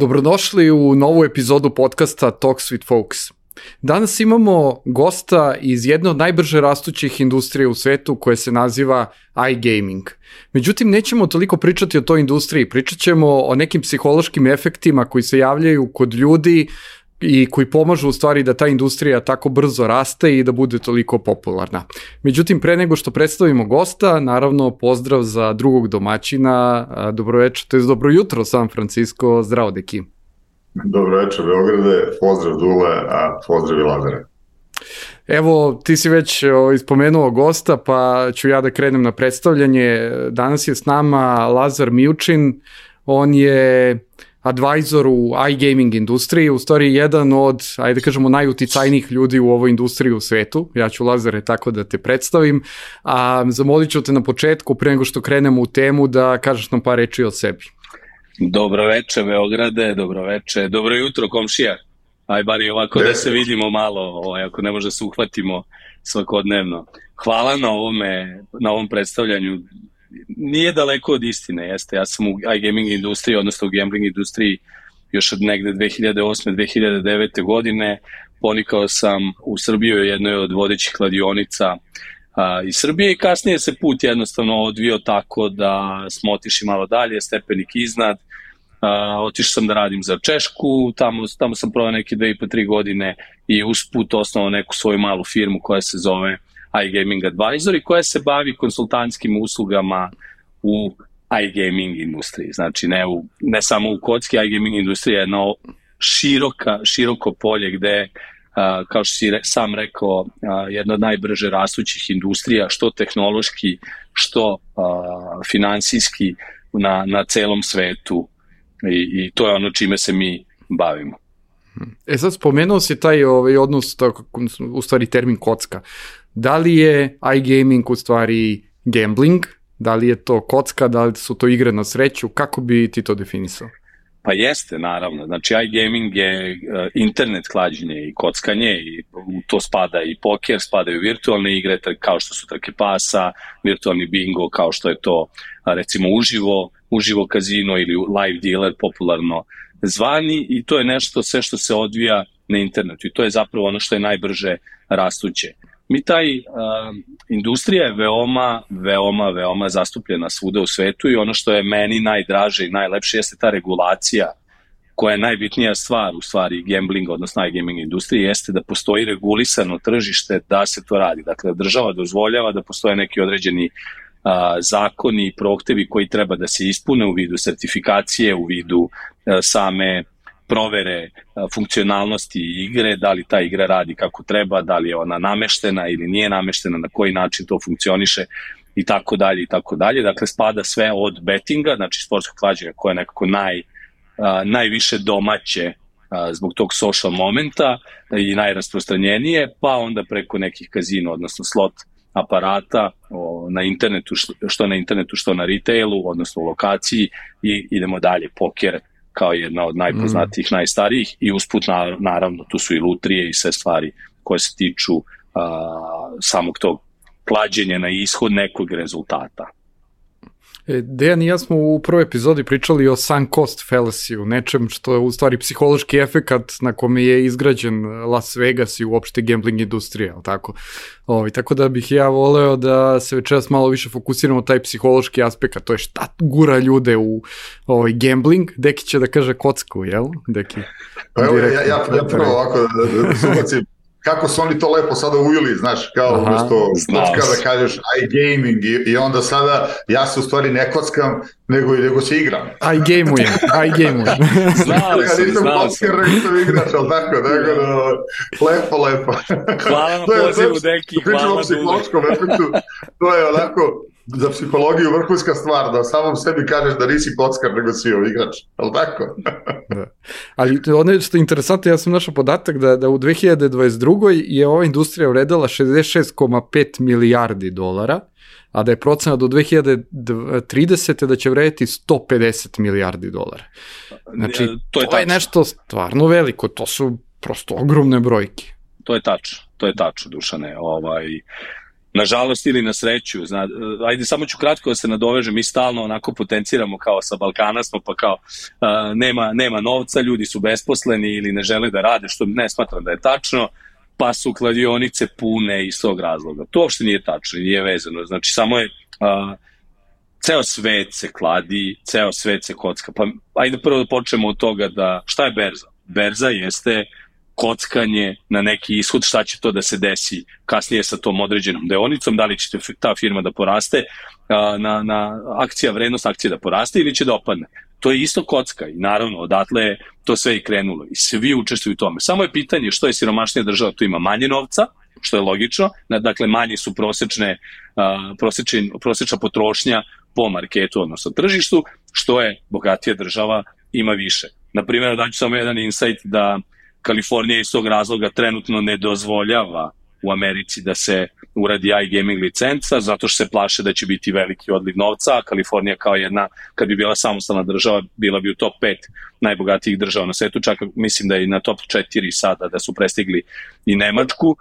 Dobrodošli u novu epizodu podcasta Talks with Folks. Danas imamo gosta iz jedne od najbrže rastućih industrija u svetu koje se naziva iGaming. Međutim, nećemo toliko pričati o toj industriji, pričat ćemo o nekim psihološkim efektima koji se javljaju kod ljudi i koji pomažu u stvari da ta industrija tako brzo raste i da bude toliko popularna. Međutim, pre nego što predstavimo gosta, naravno pozdrav za drugog domaćina, dobroveče, to je dobro jutro San Francisco, zdravo deki. Dobro večer Beograde, pozdrav Dule, a pozdrav i Lazare. Evo, ti si već ispomenuo gosta, pa ću ja da krenem na predstavljanje. Danas je s nama Lazar Mijučin, on je advisor u iGaming industriji, u stvari jedan od, ajde da kažemo, najuticajnijih ljudi u ovoj industriji u svetu. Ja ću, Lazare, tako da te predstavim, a zamolit ću te na početku, pre nego što krenemo u temu, da kažeš nam par reči o sebi. Dobro veče Beograde, dobro veče, dobro jutro komšija. Aj bar i ovako da se vidimo malo, ako ne može se uhvatimo svakodnevno. Hvala na ovom predstavljanju. Nije daleko od istine, jeste. Ja sam u iGaming industriji, odnosno u gambling industriji još od negde 2008-2009. godine. Ponikao sam u Srbiju, jednoj od vodećih kladionica iz Srbije i kasnije se put jednostavno odvio tako da smo otišli malo dalje, stepenik iznad. Otišao sam da radim za Češku, tamo sam proveo neke 2,5-3 godine i usput osnovao neku svoju malu firmu koja se zove iGaming Advisor i koja se bavi konsultantskim uslugama u iGaming industriji. Znači ne samo u kocki, iGaming industrija je jedno široko polje gde, kao što si sam rekao, jedna od najbrže rastućih industrija, što tehnološki, što finansijski na celom svetu i to je ono čime se mi bavimo. Sad spomenuo si taj odnos, u stvari termin kocka. Da li je iGaming u stvari gambling? Da li je to kocka? Da li su to igre na sreću? Kako bi ti to definisao? Pa jeste, naravno. Znači, iGaming je internet klađenje i kockanje i u to spada i poker, spadaju virtualne igre kao što su trke pasa, virtualni bingo kao što je to recimo uživo kazino ili live dealer popularno zvani i to je nešto sve što se odvija na internetu i to je zapravo ono što je najbrže rastuće. Industrija je veoma zastupljena svuda u svetu i ono što je meni najdraže i najlepše jeste ta regulacija koja je najbitnija stvar u stvari gamblinga, odnosno iGaming industrije, jeste da postoji regulisano tržište da se to radi. Dakle, država dozvoljava da postoje neki određeni zakoni i prohtevi koji treba da se ispune u vidu sertifikacije, u vidu same provere funkcionalnosti igre, da li ta igra radi kako treba, da li je ona nameštena ili nije nameštena, na koji način to funkcioniše i tako dalje i tako dalje. Dakle, spada sve od betinga, znači sportskog klađenja koje je nekako najviše domaće zbog tog social momenta i najrasprostranjenije, pa onda preko nekih kazino, odnosno slot aparata na internetu, što na internetu, što na retailu, odnosno u lokaciji i idemo dalje, poker kao jedna od najpoznatijih, najstarijih i usput naravno tu su i lutrije i sve stvari koje se tiču samog tog klađenja na ishod nekog rezultata. Dejan i ja smo u prvoj epizodi pričali o sunk cost fallacy, nečem što je u stvari psihološki efekat na kome je izgrađen Las Vegas i uopšte gambling industrija, tako? Tako da bih ja voleo da se večeras malo više fokusiramo na taj psihološki aspekt, to je šta gura ljude u gambling. Deki će da kaže kocku, jel? Deki. Pa evo, ja prvo ovako da se ubacim. Kako su oni to lepo sada uvili, znaš, kao umjesto kocka da kažeš iGaming i onda sada ja se u stvari ne kockam, nego se igram. iGamujem. Znao sam. Nisam igrač, ali tako, lepo. Hvala na pozivu, Deki, hvala. Pričamo o psihološkom efektu, to je onako za psihologiju vrhunska stvar, da samom sebi kažeš da nisi kockar, nego si igrač, ali tako? Da. Ali ono što je interesantno, ja sam našao podatak da u 2022. je ova industrija vredela 66,5 milijardi dolara, a da je procena do 2030. da će vrediti 150 milijardi dolara. Znači, to je nešto stvarno veliko, to su prosto ogromne brojke. To je tačno, Dušane. nažalost ili na sreću. Ajde, samo ću kratko da se nadovežem, mi stalno onako potenciramo kao sa Balkana smo, pa kao nema novca, ljudi su besposleni ili ne žele da rade, što ne smatram da je tačno, pa su kladionice pune iz tog razloga. To uopšte nije tačno, nije vezano. Znači, samo je ceo svet se kladi, ceo svet se kocka. Pa ajde prvo da počnemo od toga da šta je berza? Berza jeste kockanje na neki ishod, šta će to da se desi kasnije sa tom određenom deonicom, da li će ta firma da poraste, na vrednost akcije da poraste ili će da opadne. To je isto kocka i naravno odatle je to sve i krenulo i svi učestvuju u tome. Samo je pitanje što je siromašnija država, tu ima manje novca, što je logično, dakle manje su prosečna potrošnja po marketu, odnosno tržištu, što je bogatija država ima više. Naprimjer, daću samo jedan insight da Kalifornija iz tog razloga trenutno ne dozvoljava u Americi da se uradi iGaming licenca, zato što se plaše da će biti veliki odliv novca, a Kalifornija kao jedna, kad bi bila samostalna država, bila bi u top 5 najbogatijih država na svetu, čak mislim da je i na top 4 sada, da su prestigli i Nemačku.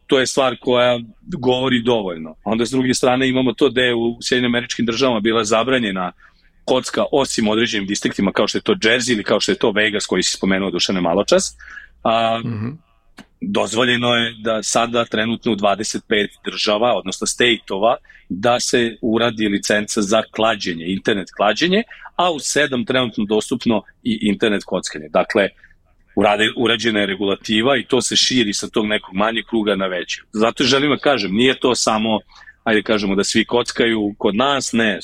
To je stvar koja govori dovoljno. Onda s druge strane imamo to da je u Sjedinjenim Američkim državama bila zabranjena kocka osim određenim distriktima kao što je to Jersey ili kao što je to Vegas koji si spomenuo Dušane maločas. Dozvoljeno je da sada trenutno u 25 država, odnosno state-ova, da se uradi licenca za klađenje, internet klađenje, a u 7 trenutno dostupno i internet kockanje. Dakle, urađena je regulativa i to se širi sa tog nekog manjeg kruga na veći. Zato želim da kažem, nije to samo, ajde kažemo da svi kockaju kod nas, ne,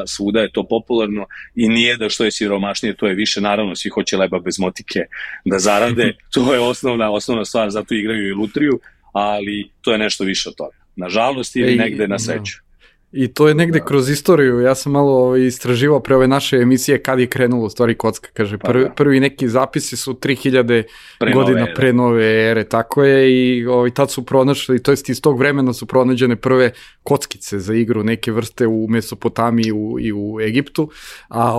svuda je to popularno i nije da što je siromašnije, to je više, naravno svi hoće leba bez motike da zarade, to je osnovna stvar, zato igraju i lutriju, ali to je nešto više od toga. Nažalost ili negde na sreću. I to je negde kroz istoriju, ja sam malo istraživao pre ove naše emisije kad je krenulo u stvari kocka, kaže, prvi neki zapisi su 3000 godina pre nove ere, tako je, i tad su pronašli, to jest iz tog vremena su pronađene prve kockice za igru, neke vrste u Mesopotamiji i u Egiptu, a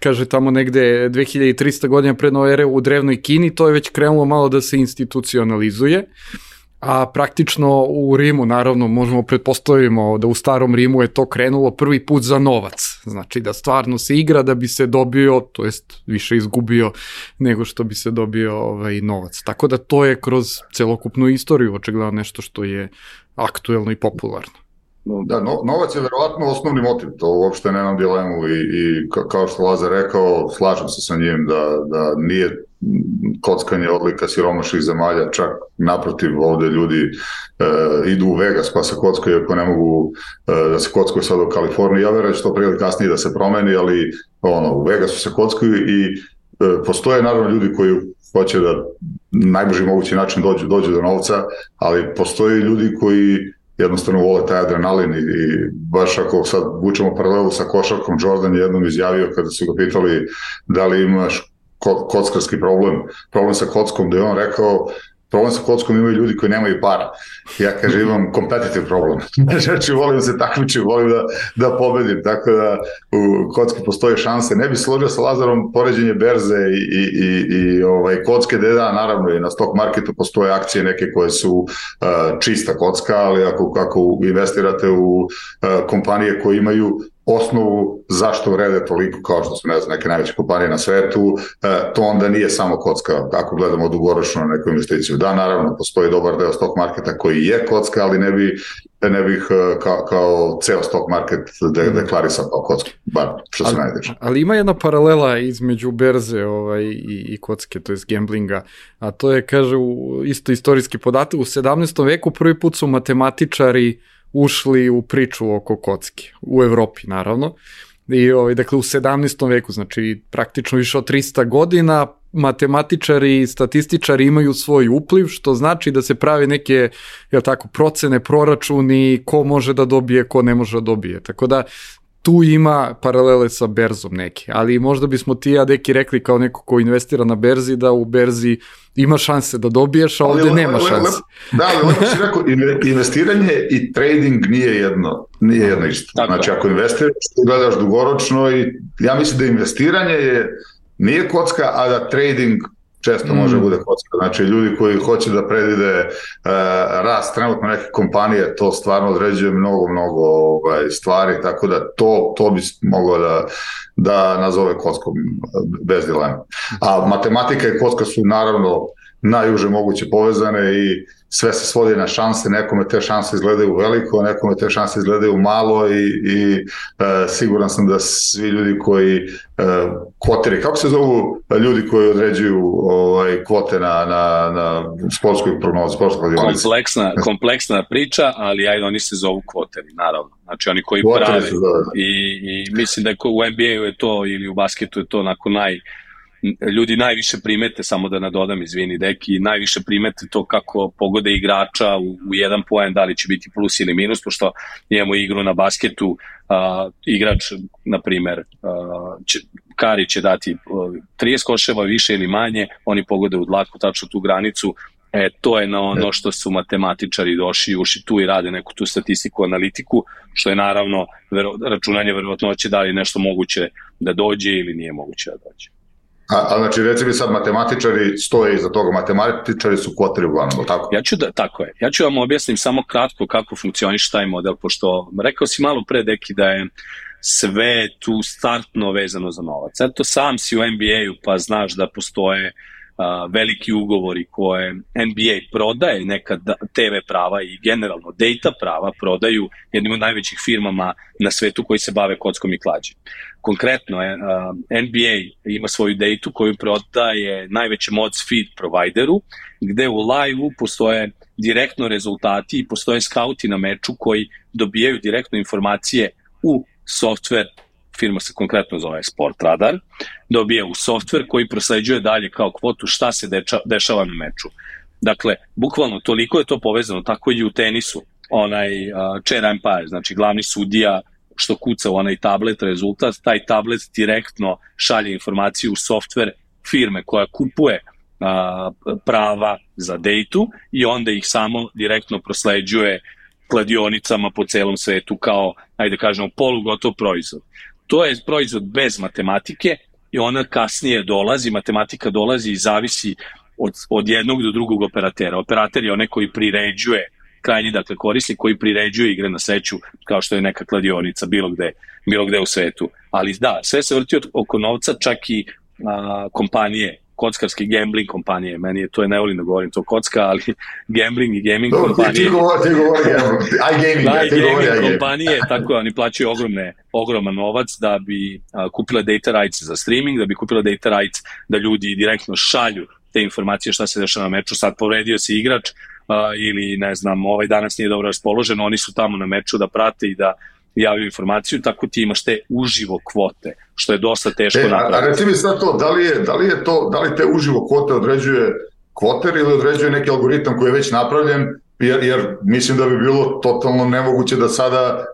kaže tamo negde 2300 godina pre nove ere u drevnoj Kini, to je već krenulo malo da se institucionalizuje. A praktično u Rimu, naravno, možemo pretpostavimo da u starom Rimu je to krenulo prvi put za novac. Znači da stvarno se igra da bi se dobio, to jest više izgubio nego što bi se dobio novac. Tako da to je kroz celokupnu istoriju očigledno nešto što je aktuelno i popularno. Da, novac je verovatno osnovni motiv, to uopšte nemam dilemu i kao što Lazar rekao, slažem se sa njim da nije kockanje odlika siromašnih zemalja, čak naprotiv, ovde ljudi idu u Vegas pa se kockaju ako ne mogu da se kockaju sad u Kaliforniji. Ja verujem da će to prije ili kasnije da se promeni, ali u Vegasu se kockaju i postoje naravno ljudi koji hoće da najbrži mogući način dođu do novca, ali postoje ljudi koji jednostavno vole taj adrenalin i baš ako sad vučemo paralelu sa košarkom, Jordan je jednom izjavio kada su ga pitali da li imaš kockarski problem sa kockom, da je on rekao problem sa kockom imaju ljudi koji nemaju para. Ja kažem imam competitive problem. Znači volim da se takmičim, volim da pobedim, tako da u kocki postoje šanse. Ne bi složio sa Lazarom poređenje berze i kocke, da naravno i na stock marketu postoje akcije neke koje su čista kocka, ali ako investirate u kompanije koje imaju osnovu zašto vrede toliko kao što su neke najveće kompanije na svetu, to onda nije samo kocka ako gledamo dugoročno na neku investiciju. Da, naravno, postoji dobar deo stock marketa koji je kocka, ali ne bih kao ceo stock market deklarisao kao kocka, bar što se najdeče. Ali ima jedna paralela između berze i kocke, to je gamblinga, a to je, kaže, isto istorijski podatak, u 17. veku prvi put su matematičari ušli u priču oko kocke, u Evropi naravno, i dakle u 17. veku, znači praktično više od 300 godina, matematičari i statističari imaju svoj upliv, što znači da se pravi neke, procene, proračuni, ko može da dobije, ko ne može da dobije, tako da tu ima paralele sa berzom neke, ali možda bismo ti ja deki rekli kao neko ko investira na berzi da u berzi ima šanse da dobiješ, a ovde nema šanse. Da, ali ovdje si rekao, investiranje i trading nije jedno isto. Znači ako investiraš, gledaš dugoročno i ja mislim da investiranje nije kocka, a da trading često može bude kocka. Znači, ljudi koji hoće da predvide rast trenutno neke kompanije, to stvarno određuje mnogo stvari, tako da to bi moglo da nazove kockom bez dilema. A matematika i kocka su naravno najuže moguće povezane i sve se svodi na šanse, nekome te šanse izgledaju veliko, nekome te šanse izgledaju malo i siguran sam da svi ljudi koji kvoteri, kako se zovu ljudi koji određuju kvote na sportskoj prognozi, sportskoj kladionici? Kompleksna priča, ali oni se zovu kvoteri, naravno. Znači oni koji prave i mislim da u NBA-u je to ili u basketu je to onako ljudi najviše primete, samo da nadodam, izvini Deki, najviše primete to kako pogode igrača u jedan poen, da li će biti plus ili minus, pošto imamo igru na basketu, igrač, na primer, Kari će dati 30 koševa više ili manje, oni pogode u dlaku, tačno tu granicu, to je na ono što su matematičari uši tu i rade neku tu statistiku, analitiku, što je naravno računanje verovatnoće da li nešto moguće da dođe ili nije moguće da dođe. A znači, reci mi sad, matematičari stoje iza toga, matematičari su kvoteri uglavnom, tako? Tako je. Ja ću vam objasnim samo kratko kako funkcioniše taj model, pošto rekao si malo pre, Deki, da je sve tu startno vezano za novac. Eto, sam si u NBA-u pa znaš da postoje veliki ugovori koje NBA prodaje, neka TV prava i generalno data prava prodaju jednim od najvećih firmama na svetu koji se bave kockom i klađenjem. Konkretno, NBA ima svoju datu koju prodaje najvećem odds feed provideru, gde u live-u postoje direktno rezultati i postoje skauti na meču koji dobijaju direktno informacije u software, firma se konkretno zove Sportradar, dobije u software koji prosleđuje dalje kao kvotu šta se dešava na meču. Dakle, bukvalno toliko je to povezano, tako i u tenisu, chair umpire, znači glavni sudija što kuca u onaj tablet rezultat, taj tablet direktno šalje informaciju u software firme koja kupuje prava za datu i onda ih samo direktno prosleđuje kladionicama po celom svetu kao, ajde kažemo, polugotov proizvod. To je proizvod bez matematike i ona kasnije dolazi, matematika dolazi i zavisi od jednog do drugog operatera. Operater je onaj koji priređuje, krajnji, dakle korisnik koji priređuje igre na sreću, kao što je neka kladionica bilo gde u svetu. Ali da, sve se vrti oko novca, čak i kompanije, kockarske gambling kompanije, to je ne volim da govorim to kocka, ali gambling i gaming kompanije. Ti govori iGaming kompanije, tako oni plaćaju ogroman novac da bi kupila data rights za streaming, da bi kupila data rights da ljudi direktno šalju te informacije šta se dešava na meču, sad povredio se igrač ili ne znam, danas nije dobro raspoložen, oni su tamo na meču da prate i da javljaju informaciju, tako ti imaš te uživo kvote, što je dosta teško napraviti. A reci mi sad to, da li te uživo kvote određuje kvoter ili određuje neki algoritam koji je već napravljen, jer mislim da bi bilo totalno nemoguće da sada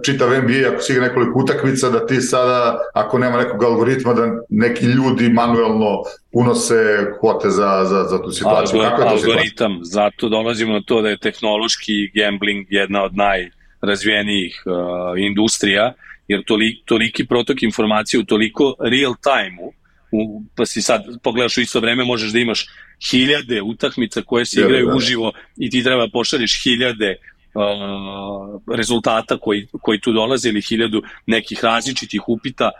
čitav NBA, ako si igra nekoliko utakmica, da ti sada, ako nema nekog algoritma, da neki ljudi manuelno unose kvote za tu situaciju. Algoritam, zato dolazimo na to da je tehnološki gambling jedna od najrazvijenijih industrija, jer toliki protok informacije u toliko real time-u, pa si sad pogledaš u isto vreme, možeš da imaš 1000 utakmica koje se igraju uživo i ti treba pošalješ 1000 rezultata koji tu dolaze ili 1000 nekih različitih upita,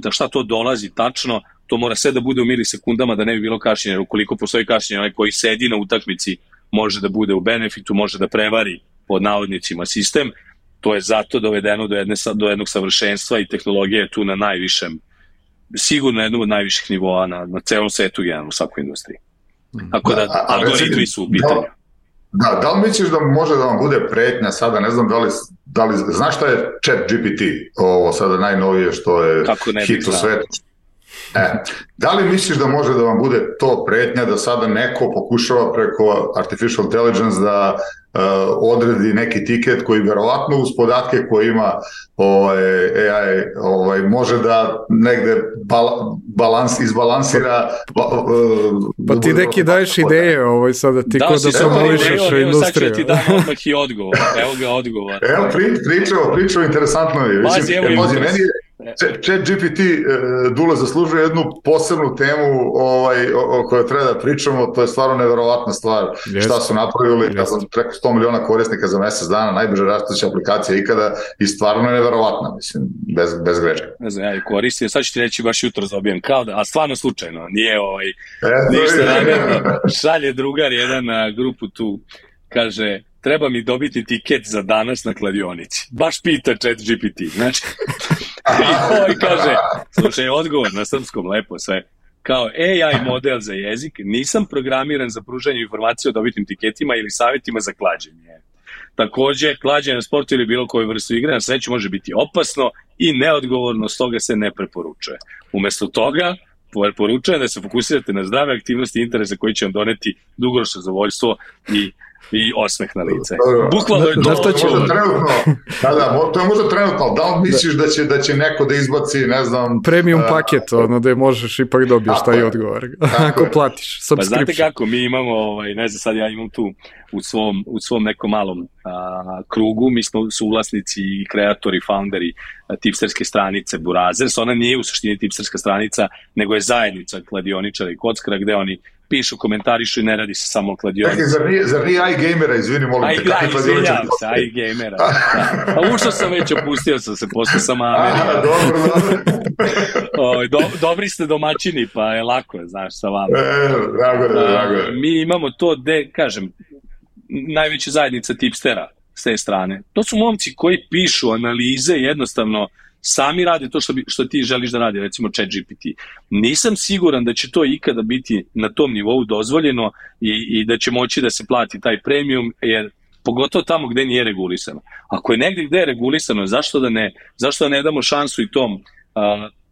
šta to dolazi tačno, to mora sve da bude u milisekundama da ne bi bilo kašnjenja, jer ukoliko postoji kašnjenje, onaj koji sedi na utakmici može da bude u benefitu, može da prevari pod navodnicima sistem, to je zato dovedeno do jednog savršenstva i tehnologija je tu na najvišem, sigurno jednom od najviših nivoa na celom svetu u svakoj industriji. Tako da algoritmi su u pitanju. Da li misliš da može da vam bude pretnja sada, ne znam da li znaš šta je ChatGPT, ovo sada najnovije što je hit u svetu? Da li misliš da može da vam bude to pretnja da sada neko pokušava preko artificial intelligence da odredi neki tiket koji verovatno uz podatke koje ima AI može da negde izbalansira. Pa ti neki daješ ideje sada, ti ko da promovišeš industriju. Sad ću ti dam odmah i odgovor. Evo ga odgovor. Evo pričao, interesantno je. ChatGPT Dule zaslužuje jednu posebnu temu o kojoj treba da pričamo, to je stvarno neverovatna stvar. Šta su napravili, preko 100 miliona korisnika za mesec dana, najbrže rastuća aplikacija ikada i stvarno je neverovatna, mislim, bez greške. Ne znam, ja koristim, sad ću ti reći baš jutro zaobijem, kao da, a stvarno slučajno, nije ništa namjerno, šalje drugar jedan na grupu tu, kaže, treba mi dobiti tiket za danas na kladionici. Baš pita ChatGPT, znači. I kaže, slušaj, odgovor na srpskom, lepo sve. Kao AI model za jezik, nisam programiran za pružanje informacije o dobitim tiketima ili savjetima za klađenje. Takođe, klađenje na sportu ili bilo koju vrstu igre na sreću može biti opasno i neodgovorno, stoga se ne preporučuje. Umesto toga, preporučujem da se fokusirate na zdrave aktivnosti i interese koji će vam doneti dugoročno zadovoljstvo i osmeh na lice. Bukvalno je to. To je možda trenutno, da li misliš da će neko da izbaci, ne znam... Premium paket, da možeš ipak dobiješ taj odgovor, ako platiš subscription. Pa znate kako, mi imamo, ne znam, sad ja imam tu u svom nekom malom krugu, mi smo suvlasnici i kreatori, founderi tipsterske stranice Burazers. Ona nije u suštini tipsterska stranica, nego je zajednica kladioničara i kockara, gde oni pišu, komentarišu i ne radi se samo o kladionici. Zar nije iGamera, izvini, molim te. Izvinjam se, iGamera. A ušao sam već, opustio sam se, postao sam Amerika. Dobri ste domaćini, pa je lako, znaš, sa vama. Drago. Mi imamo to, kažem, najveća zajednica tipstera s te strane. To su momci koji pišu analize, jednostavno sami rade to što ti želiš da radi, recimo ChatGPT. Nisam siguran da će to ikada biti na tom nivou dozvoljeno i da će moći da se plati taj premium, jer pogotovo tamo gde nije regulisano. Ako je negde gde je regulisano, zašto da ne damo šansu i tom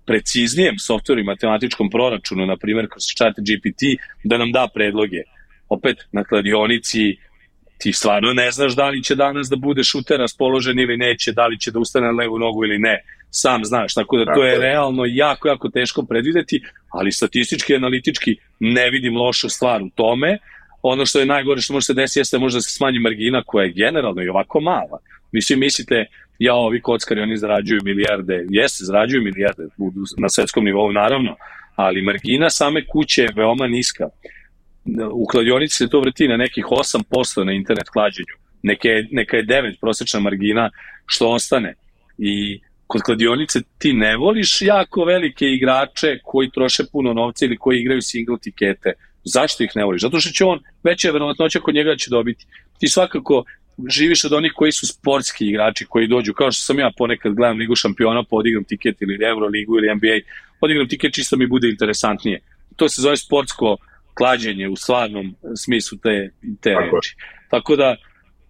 preciznijem softveru i matematičkom proračunu, na primjer kroz ChatGPT, da nam da predloge. Opet, na kladionici ti stvarno ne znaš da li će danas da bude šuter raspoložen ili neće, da li će da ustane na levu nogu ili ne, sam znaš, tako da to je realno jako, jako teško predvideti, ali statistički i analitički ne vidim lošu stvar u tome. Ono što je najgore što može se desiti jeste možda se smanji margina koja je generalno i ovako mala. Vi svi mislite, ovi kockari, oni zarađuju milijarde, zarađuju milijarde na svetskom nivou naravno, ali margina same kuće je veoma niska. U kladionici se to vrti na nekih 8% na internet klađenju. Neka je 9 prosječna margina što ostane. I kod kladionice ti ne voliš jako velike igrače koji troše puno novca ili koji igraju single tikete. Zašto ih ne voliš? Zato što će veća je verovatnoća kod njega da će dobiti. Ti svakako živiš od onih koji su sportski igrači, koji dođu, kao što sam ja ponekad gledam Ligu šampiona, pa odigram tiket ili Euroligu ili NBA, odigram tiket čisto mi bude interesantnije. To se zove sportsko klađenje u stvarnom smislu te reči. Tako da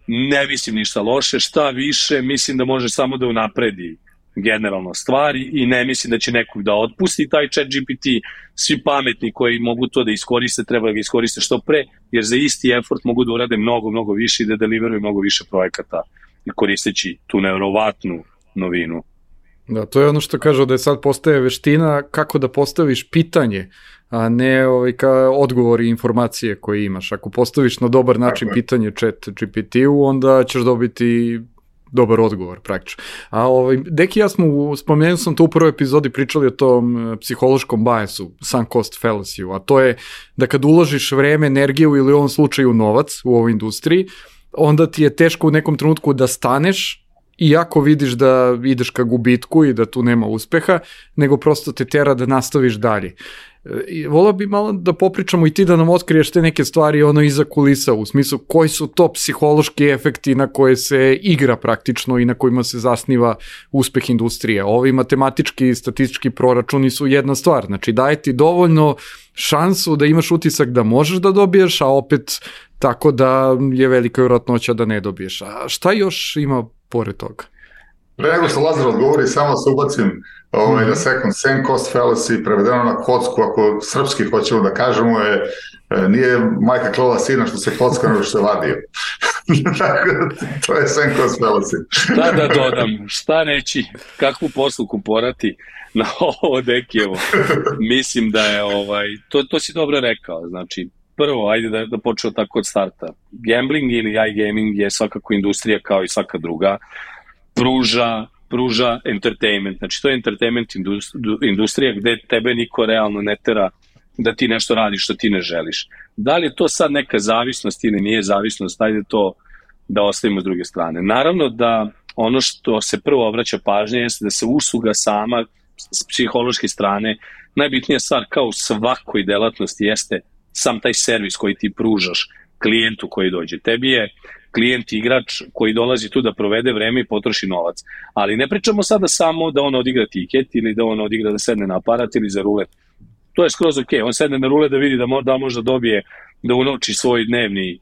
ne mislim ništa loše, šta više mislim da može samo da unapredi generalno stvari i ne mislim da će nekog da otpusti taj ChatGPT. Svi pametni koji mogu to da iskoriste, treba da ga iskoriste što pre, jer za isti effort mogu da urade mnogo, mnogo više i da deliveruju mnogo više projekata koristeći tu nevjerovatnu novinu. Da, to je ono što kažu da je sad postaje veština kako da postaviš pitanje, a ne odgovor i informacije koje imaš. Ako postaviš na dobar način pitanje ChatGPT-u, onda ćeš dobiti dobar odgovor praktično. A Deki, ja spomenuo sam to u prvoj epizodi, pričali o tom psihološkom biasu, sunk cost fallacy-u, a to je da kad uložiš vreme, energiju ili u ovom slučaju novac u ovoj industriji, onda ti je teško u nekom trenutku da staneš, iako vidiš da ideš ka gubitku i da tu nema uspeha, nego prosto te tera da nastaviš dalje. Volao bi malo da popričamo i ti da nam otkriješ te neke stvari iza kulisa, u smislu koji su to psihološki efekti na koje se igra praktično i na kojima se zasniva uspeh industrije. Ovi matematički i statistički proračuni su jedna stvar, znači daje ti dovoljno šansu da imaš utisak da možeš da dobiješ, a opet tako da je velika vjerojatnoća da ne dobiješ. A šta još ima pored toga? Pre nego što Lazar odgovori, samo se ubacim na second, sunk cost fallacy, prevedeno na kocku, ako srpski hoćemo da kažemo, nije majka klala sina što se kocka nego što se vadio. To je sunk cost fallacy. Šta da dodam, šta reći, kakvu posluku porati na ovo Dekijevo. Mislim da je, to si dobro rekao, znači, prvo, ajde da počeo tako od starta. Gambling ili iGaming je svakako industrija kao i svaka druga, pruža pruža entertainment. Znači, to je entertainment industrija gde tebe niko realno ne tera da ti nešto radiš što ti ne želiš. Da li je to sad neka zavisnost ili nije zavisnost, ajde to da ostavimo s druge strane. Naravno da ono što se prvo obraća pažnje jeste da se usluga sama s psihološke strane, najbitnija stvar kao u svakoj delatnosti jeste sam taj servis koji ti pružaš klijentu koji dođe. Tebi je klijent igrač koji dolazi tu da provede vreme i potroši novac. Ali ne pričamo sada samo da on odigra tiket ili da on odigra da sedne na aparat ili za rulet. To je skroz ok. On sedne na rulet da vidi da možda dobije, da unovči svoj dnevni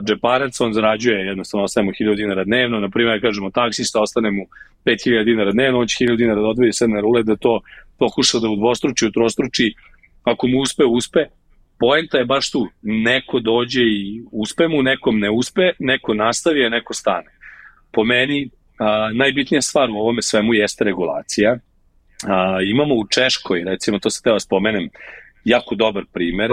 džeparac, on zarađuje, jednostavno ostaje mu 1000 dinara dnevno, na primjer, kažemo taksista, ostane mu 5000 dinara dnevno, on će 1000 dinara da odvoji sedne na rulet, da to pokuša da udvostruči, utrostruči, ako mu uspe. Poenta je baš tu, neko dođe i uspe mu, nekom ne uspe, neko nastavi, a neko stane. Po meni, najbitnija stvar u ovome svemu jeste regulacija. Imamo u Češkoj, recimo, to se teo spomenem, jako dobar primer,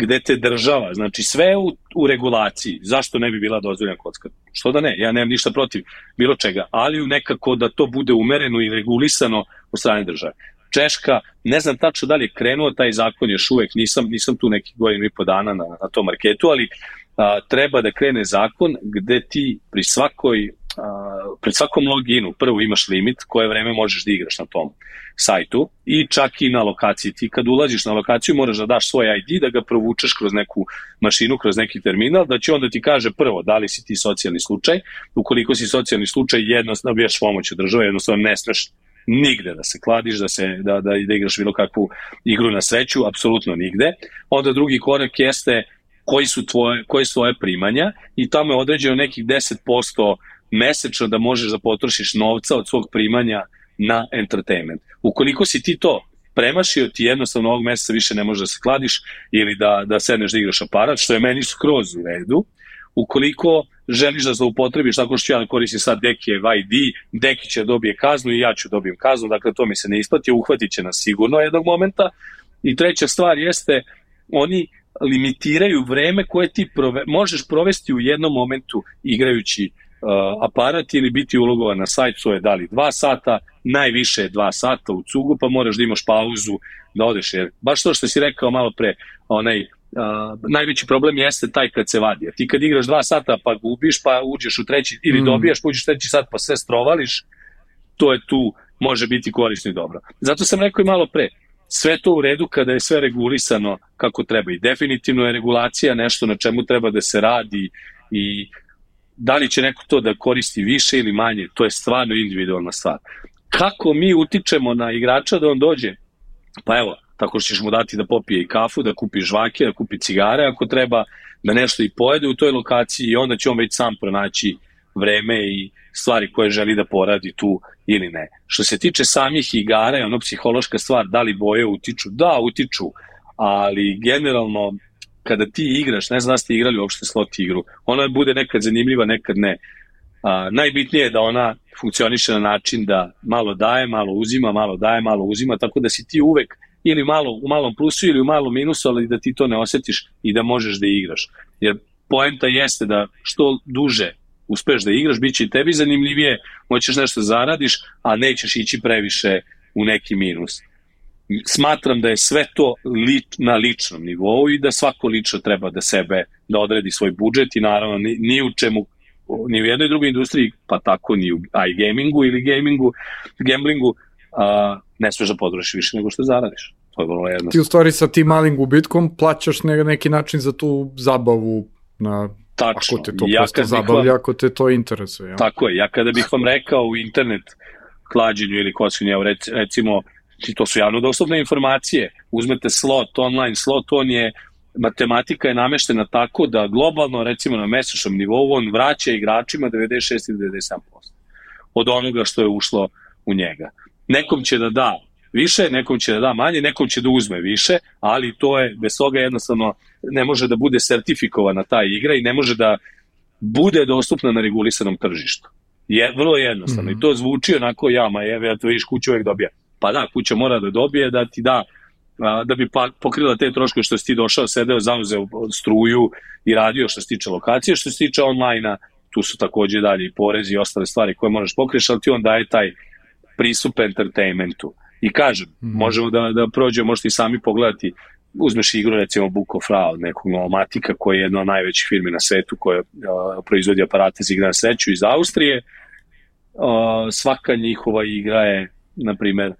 gde te država, znači sve u regulaciji, zašto ne bi bila dozvoljena kocka? Što da ne, ja nemam ništa protiv bilo čega, ali nekako da to bude umereno i regulisano od strane države. Češka, ne znam tačno da li je krenuo taj zakon još uvek, nisam tu nekih godinu i po dana na tom marketu, ali treba da krene zakon gde ti pred svakom loginu prvo imaš limit koje vreme možeš da igraš na tom sajtu i čak i na lokaciji. Ti kad ulaziš na lokaciju moraš da daš svoj ID, da ga provučeš kroz neku mašinu, kroz neki terminal, da će onda ti kaže prvo da li si ti socijalni slučaj. Ukoliko si socijalni slučaj, jednostavno bijaš pomoć od države, jednostavno ne smeš nigde da se kladiš, da igraš bilo kakvu igru na sreću, apsolutno nigde. Onda drugi korak jeste koji su tvoje primanja i tamo je određeno nekih 10% mesečno da možeš da potrošiš novca od svog primanja na entertainment. Ukoliko si ti to premašio, ti jednostavno ovog meseca više ne možeš da se kladiš ili da sedneš da igraš aparat, što je meni skroz u redu. Ukoliko želiš da zloupotrebiš tako što ja koristim sad Dekijev ID, Deki će dobije kaznu i ja ću dobijem kaznu, dakle to mi se ne isplati, uhvatit će nas sigurno jednog momenta. I treća stvar jeste, oni limitiraju vreme koje ti možeš provesti u jednom momentu igrajući aparat ili biti ulogovan na sajt, to je da li 2 sata, najviše 2 sata u cugu, pa moraš da imaš pauzu da odeš, jer baš to što si rekao malo pre, najveći problem jeste taj kad se vadi. Ti kad igraš 2 sata pa gubiš, pa uđeš u treći, ili dobijaš, pa uđeš u treći sat pa sve strovališ, to je tu, može biti korisno i dobro. Zato sam rekao i malo pre, sve to u redu kada je sve regulisano kako treba i definitivno je regulacija nešto na čemu treba da se radi i da li će neko to da koristi više ili manje, to je stvarno individualna stvar. Kako mi utičemo na igrača da on dođe? Pa evo, tako što ćeš mu dati da popije i kafu, da kupi žvake, da kupi cigare, ako treba da nešto i pojede u toj lokaciji i onda će on već sam pronaći vreme i stvari koje želi da poradi tu ili ne. Što se tiče samih igara, je ono psihološka stvar, da li boje utiču? Da, utiču, ali generalno kada ti igraš, ne znam da ste igrali uopšte slot igru, ona bude nekad zanimljiva, nekad ne. Najbitnije je da ona funkcioniše na način da malo daje, malo uzima, malo daje, malo uzima, tako da si ti uvek ili u malom plusu ili u malom minusu, ali da ti to ne osjetiš i da možeš da igraš. Jer poenta jeste da što duže uspeš da igraš, bit će i tebi zanimljivije, moćeš nešto zaradiš, a nećeš ići previše u neki minus. Smatram da je sve to na ličnom nivou i da svako lično treba da odredi svoj budžet i naravno ni u čemu, ni u jednoj drugoj industriji, pa tako ni u iGamingu ili gamblingu, ne smeš da potrošiš više nego što zaradiš. To je vrlo jednostavno. Ti u stvari sa tim malim gubitkom plaćaš neki način za tu zabavu tačno. Ako te to prosto zabavlja, ako te to interesuje. Ja? Tako je, ja kada bih vam rekao u internet klađenju ili kockanju, recimo, to su javno dostupne informacije, uzmete slot, online slot, matematika je nameštena tako da globalno, recimo na mesečnom nivou, on vraća igračima 96 ili 97% od onoga što je ušlo u njega. Nekom će da da više, nekom će da da manje, nekom će da uzme više, ali to je, bez toga jednostavno ne može da bude sertifikovana ta igra i ne može da bude dostupna na regulisanom tržištu. Vrlo jednostavno. I to zvuči onako ja to vidiš, kuća uvek dobija. Pa da, kuća mora da dobije, da ti da bi pokrila te troškove što si ti došao, sedeo, zauzeo struju i radio što se tiče lokacije, što se tiče online-a, tu su takođe dalje i porezi i ostale stvari koje možeš pokriješ, ali ti on daje taj pristup entertainmentu. I kažem, možemo da prođemo, možete i sami pogledati, uzmeš igru recimo Book of Ra od nekog Novomatika koji je jedna od najvećih firmi na svetu koja proizvodi aparate za igre na sreću iz Austrije. Svaka njihova igra je, na primer,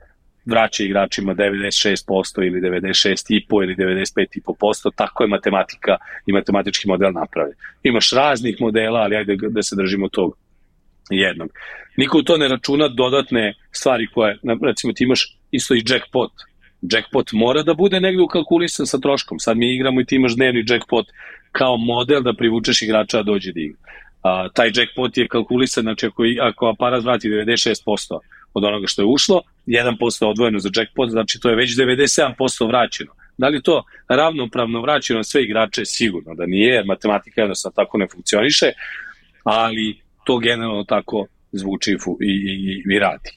vraća igračima 96% ili 96,5% ili 95,5%, tako je matematika i matematički model napravljen. Imaš raznih modela, ali ajde da se držimo tog jednog. Niko u to ne računa dodatne stvari koje, recimo ti imaš isto i jackpot. Jackpot mora da bude negde ukalkulisan sa troškom. Sad mi igramo i ti imaš dnevni jackpot kao model da privučeš igrača da dođe da igra. Taj jackpot je kalkulisan, znači ako aparat vrati 96% od onoga što je ušlo, 1% odvojeno za jackpot, znači to je već 97% vraćeno. Da li to ravnopravno vraćeno na sve igrače? Sigurno da nije, jer matematika jednostavno tako ne funkcioniše, ali to generalno tako zvuči i radi.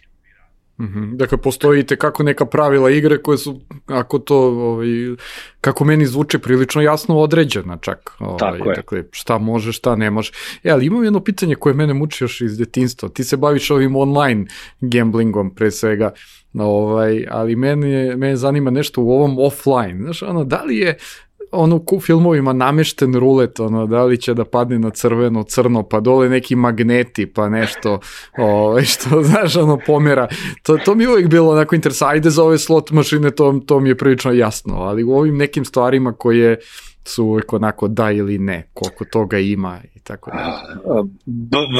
Dakle, postoji kako neka pravila igre koje su, ako to, kako meni zvuče, prilično jasno određena čak. Tako je. Dakle, šta može, šta ne može. Ali imam jedno pitanje koje mene muči još iz detinjstva. Ti se baviš ovim online gamblingom pre svega, ali mene zanima nešto u ovom offline. Znaš, da li je u filmovima namešten rulet, da li će da padne na crveno, crno, pa dole neki magneti, pa nešto, što, znaš, pomera. To mi je uvijek bilo onako interesantno. Ajde za ove slot mašine, to mi je prilično jasno, ali u ovim nekim stvarima koje su uvijek onako da ili ne, koliko toga ima i tako da.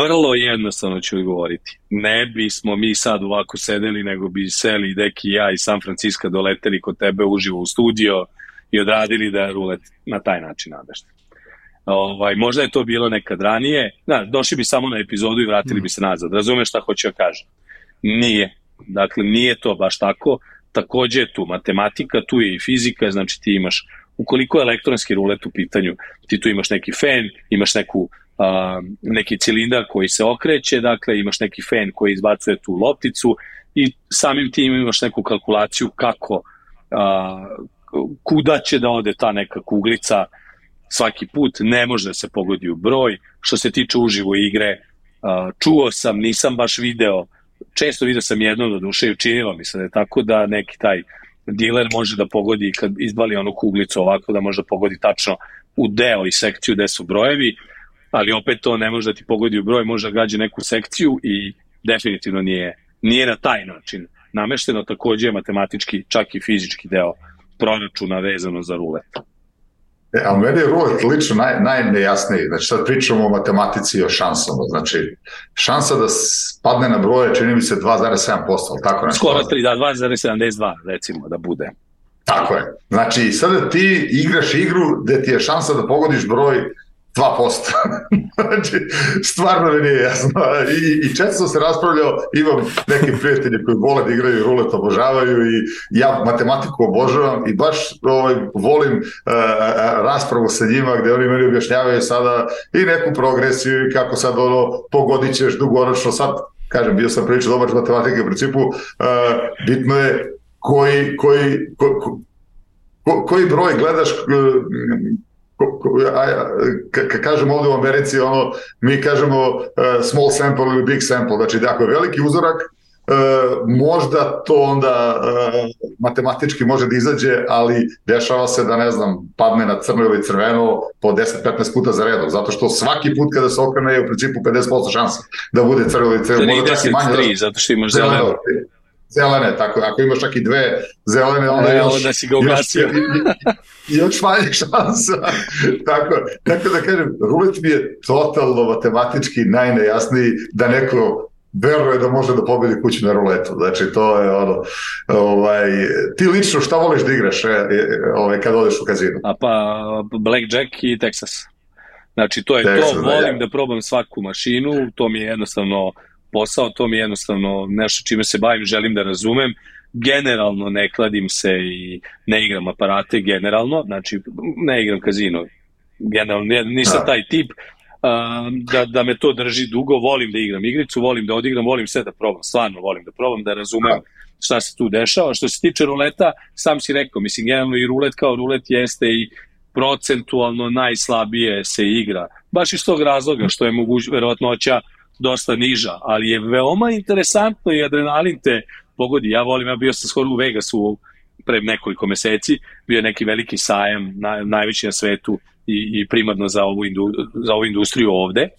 Vrlo jednostavno ću odgovoriti. Ne bismo mi sad ovako sedeli, nego bi seli Deki i ja iz San Francisco doleteli kod tebe uživo u studio i odradili da je rulet na taj način namešten. Možda je to bilo nekad ranije, došli bi samo na epizodu i vratili bi se nazad. Razumeš šta hoću ja kažem? Nije. Dakle, nije to baš tako. Takođe je tu matematika, tu je i fizika, znači ti imaš, ukoliko je elektronski rulet u pitanju, ti tu imaš neki fen, imaš neki cilindar koji se okreće, dakle imaš neki fen koji izbacuje tu lopticu i samim tim imaš neku kalkulaciju kako kuda će da ode ta neka kuglica svaki put, ne može da se pogodi u broj. Što se tiče uživo igre, čuo sam, nisam baš video, često video sam jedno do duše i učinilo mi se da je tako da neki taj diler može da pogodi kad izbali onu kuglicu ovako da može da pogodi tačno u deo i sekciju gde su brojevi, ali opet to ne može da ti pogodi u broj, može da gađe neku sekciju i definitivno nije na taj način namešteno. Takođe je matematički, čak i fizički deo proračuna vezano za rulet. A meni je rulet lično najnejasniji. Znači sad pričamo o matematici i o šansama. Znači šansa da padne na broje čini mi se 2,7%, ali tako nešto. Skoro 2,72 recimo da bude. Tako je. Znači sada ti igraš igru gde ti je šansa da pogodiš broj 2%. Znači, stvarno mi nije jasno. I često se raspravljao, imam neki prijatelji koji vole da igraju rulet, obožavaju i ja matematiku obožavam i baš volim raspravu sa njima gde oni meni objašnjavaju sada i neku progresiju i kako sad pogodit ćeš dugoročno. Sad, kažem, bio sam prilično dobar matematike u principu, bitno je koji broj gledaš. Kad kažemo ovde u Americi, mi kažemo small sample ili big sample, znači da ako je veliki uzorak, možda to onda matematički može da izađe, ali dešava se da, ne znam, padne na crno ili crveno po 10-15 puta za redom, zato što svaki put kada se okrene je u principu 50% šansa da bude crveno ili crveno. 33, zato što imaš zeleno. Zelene, tako, ako imaš čak i dve zelene, onda još manje šansa. Tako da kažem, rulet mi je totalno matematički najnejasniji da neko veruje da može da pobedi kuću na ruletu. Znači, to je ti lično šta voliš da igraš kad odeš u kazinu? Pa Blackjack i Texas. Znači, to je Texas, to. Volim da probam svaku mašinu, to mi je jednostavno posao, to mi je jednostavno nešto čime se bavim, želim da razumem. Generalno ne kladim se i ne igram aparate, generalno, znači ne igram kazino, generalno nisam taj tip, da me to drži dugo, volim da igram igricu, volim da odigram, volim sve da probam, stvarno volim da probam, da razumem šta se tu dešava. Što se tiče ruleta, sam si rekao, mislim, generalno i rulet kao rulet jeste i procentualno najslabije se igra. Baš iz tog razloga što je verovatnoća dosta niža, ali je veoma interesantno i adrenalin te pogodi. Ja bio sam skoro u Vegasu pre nekoliko meseci, bio je neki veliki sajam, najveći na svetu i primarno za ovu industriju ovde.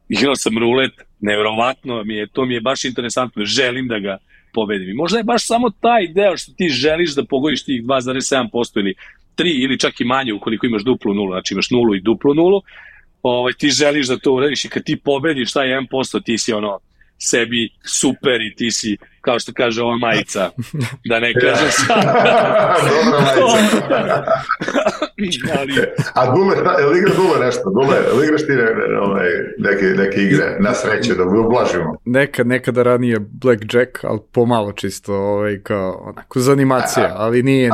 Igrao sam rulet, nevjerovatno to mi je baš interesantno, želim da ga pobedim. I možda je baš samo taj deo što ti želiš da pogodiš tih 2,7% ili 3 ili čak i manje ukoliko imaš duplu nulu, znači imaš nulu i duplu nulu, ti želiš da to uradiš i kad ti pobediš taj 1%, ti si sebi super i ti si, kao što kaže ova majica, da ne kažem sad. Dobra majica. A Dule, je igra Dule nešto? Dule, ili igraš ti neke igre na sreće, da ublažimo? Nekada ranije Blackjack, ali pomalo čisto, kao onako za animacije, ali nije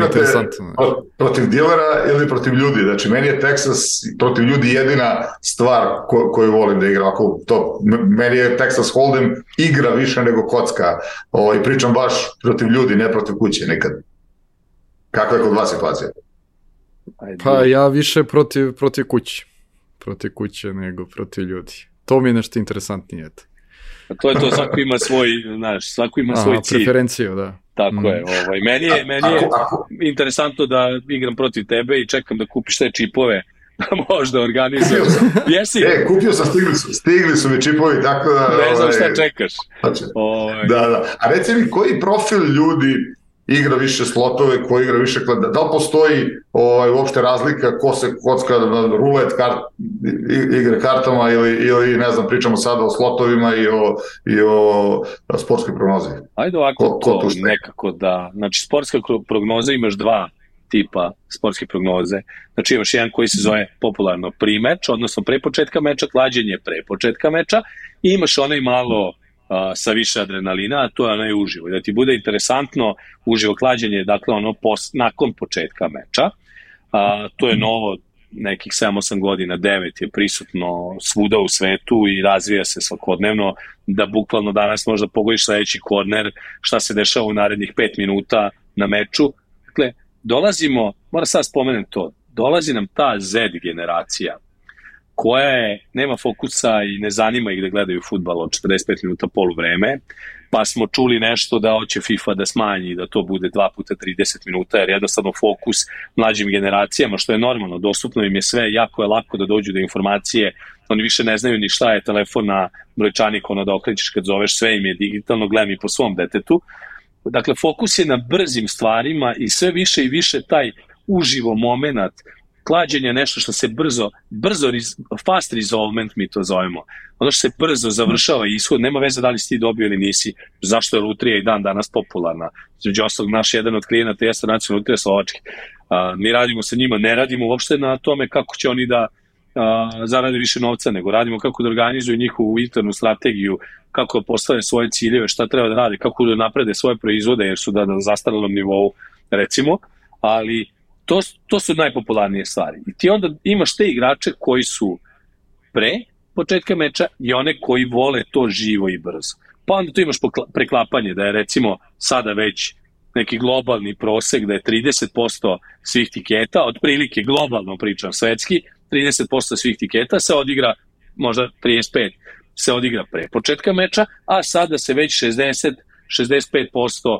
interesantno. Protiv dilera ili protiv ljudi? Znači, meni je Texas protiv ljudi jedina stvar koju volim da igram. Meni je Texas Hold'em igra više nego kocka. I pričam baš protiv ljudi, ne protiv kuće nikad. Kakva je kod vas situacija? Pa ja više protiv kuće. Protiv kuće nego protiv ljudi. To mi je nešto interesantnije. To je to, svako ima svoj, svako ima svoj cilj. Preferenciju, da. Tako je. Meni je interesantno da igram protiv tebe i čekam da kupiš te čipove da možda organizujem. Jesi? Kupio sam, stigli su mi čipovi, tako da... Ne znam šta čekaš. Da. A reci mi, koji profil ljudi igra više slotove, ko igra više klada? Da li postoji uopšte razlika ko se kocka na rulet igre kartama ili ne znam, pričamo sada o slotovima i o sportskoj prognozi? Ajde ovako, to nekako da... Znači, sportska prognoza imaš dva tipa sportske prognoze. Znači imaš jedan koji se zove popularno pre-meč, odnosno pre početka meča, klađenje pre početka meča, i imaš onaj malo sa više adrenalina, a to je onaj uživo. I da ti bude interesantno uživo klađenje, dakle nakon početka meča. To je novo, nekih 7-8 godina, 9 je prisutno svuda u svetu i razvija se svakodnevno, da bukvalno danas možda pogodiš sledeći korner, šta se dešava u narednih 5 minuta na meču. Dakle, moram sad spomenem to, dolazi nam ta Z generacija koja nema fokusa i ne zanima ih da gledaju fudbal od 45 minuta poluvreme, pa smo čuli nešto da hoće FIFA da smanji, da to bude 2 puta 30 minuta, jer jednostavno fokus mlađim generacijama, što je normalno, dostupno im je sve, jako je lako da dođu do informacije, oni više ne znaju ni šta je telefon na brojčanik, da okrećeš kad zoveš, sve im je digitalno, gledam i po svom detetu. Dakle, fokus je na brzim stvarima i sve više i više taj uživo moment, klađenje, nešto što se brzo, fast resolvement mi to zovemo, ono što se brzo završava i ishod, nema veze da li si ti dobio ili nisi, zašto je lutrija i dan danas popularna. Među ostalog, naš jedan od klijenata jeste Nacionalna lutrija Slovačke. Mi radimo sa njima, ne radimo uopšte na tome kako će oni da zarade više novca, nego radimo kako da organizuju njihovu internu strategiju, kako da postave svoje ciljeve, šta treba da rade, kako da naprede svoje proizvode, jer su na zastarelom nivou, recimo, ali to su najpopularnije stvari. I ti onda imaš te igrače koji su pre početka meča i one koji vole to živo i brzo. Pa onda tu imaš preklapanje, da je recimo sada već neki globalni prosek, da je 30% svih tiketa, otprilike globalno pričam svetski, 30% svih tiketa se odigra, možda 35% se odigra pre početka meča, a sada se već 65%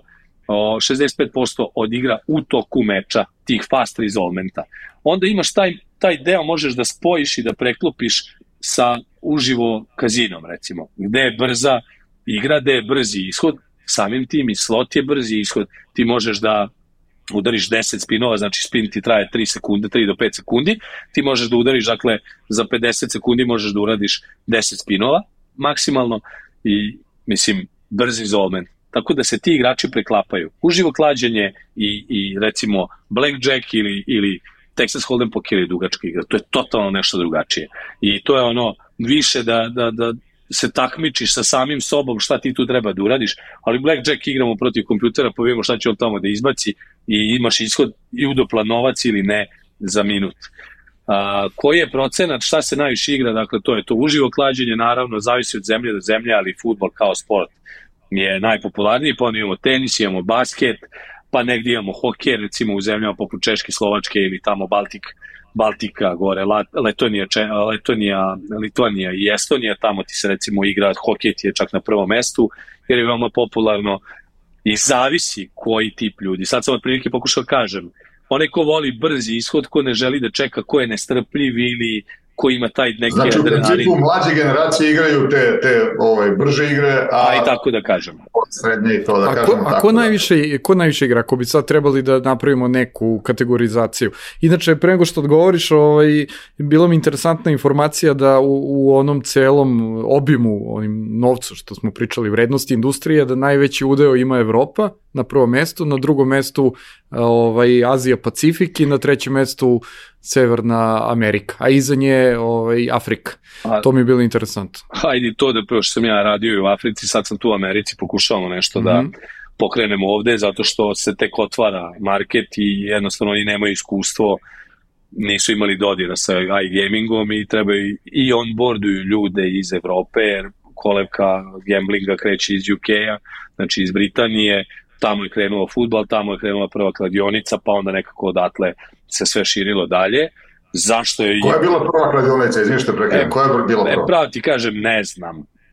odigra u toku meča, tih fast resolvementa. Onda imaš taj deo, možeš da spojiš i da preklopiš sa uživo kazinom, recimo, gde je brza igra, gde je brzi ishod, samim tim i slot je brzi ishod, ti možeš da udariš 10 spinova, znači spin ti traje 3 sekunde, 3 do 5 sekundi, ti možeš da udariš, dakle, za 50 sekundi možeš da uradiš 10 spinova maksimalno i, mislim, brzi resolvement. Tako da se ti igrači preklapaju. Uživo klađenje i recimo Blackjack ili Texas Hold'em poker ili dugačka igra. To je totalno nešto drugačije. I to je ono više da se takmičiš sa samim sobom šta ti tu treba da uradiš, ali Blackjack igramo protiv kompjutera, pa vidimo šta će on tamo da izbaci i imaš ishod i udoplanovac ili ne za minut. Koji je procenat, šta se najviše igra, dakle to je to uživo klađenje, naravno zavisi od zemlje do zemlje, ali fudbal kao sport je najpopularniji, pa onda imamo tenis, imamo basket, pa negdje imamo hokej, recimo u zemljama poput Češke, Slovačke ili tamo Baltika gore, Litvanija i Estonija, tamo ti se recimo igra hokej, ti je čak na prvom mestu, jer je veoma popularno i zavisi koji tip ljudi. Sad sam od prilike pokušao kažem, onaj ko voli brzi ishod, ko ne želi da čeka, ko je nestrpljiv ili ko ima taj neki adrenalin. Znači u principu mlađe generacije igraju te brže igre, a i tako da kažemo. Srednje i to da kažemo. A ko najviše igra? Ako bi sad trebali da napravimo neku kategorizaciju. Inače, pre nego što odgovoriš, bila mi interesantna informacija da u onom celom obimu, onim novcu što smo pričali, vrednosti industrije, da najveći udeo ima Evropa na prvom mestu, na drugom mestu Azija Pacifik i na trećem mestu Severna Amerika, a iza nje Afrika. To mi je bilo interesantno. Hajde to da prvo što sam ja radio u Africi, sad sam tu u Americi, pokušavamo nešto da pokrenemo ovde, zato što se tek otvara market i jednostavno oni nemaju iskustvo, nisu imali dodira sa iGamingom i trebaju i onboarduju ljude iz Evrope, jer kolevka gamblinga kreće iz UK-a, znači iz Britanije, tamo je krenuo fudbal, tamo je krenula prva kladionica, pa onda nekako odatle se sve širilo dalje. Zašto je... Koja je bila prva kladionica, izvište prekrenuo? Koja je bila prva? Pravo ti kažem,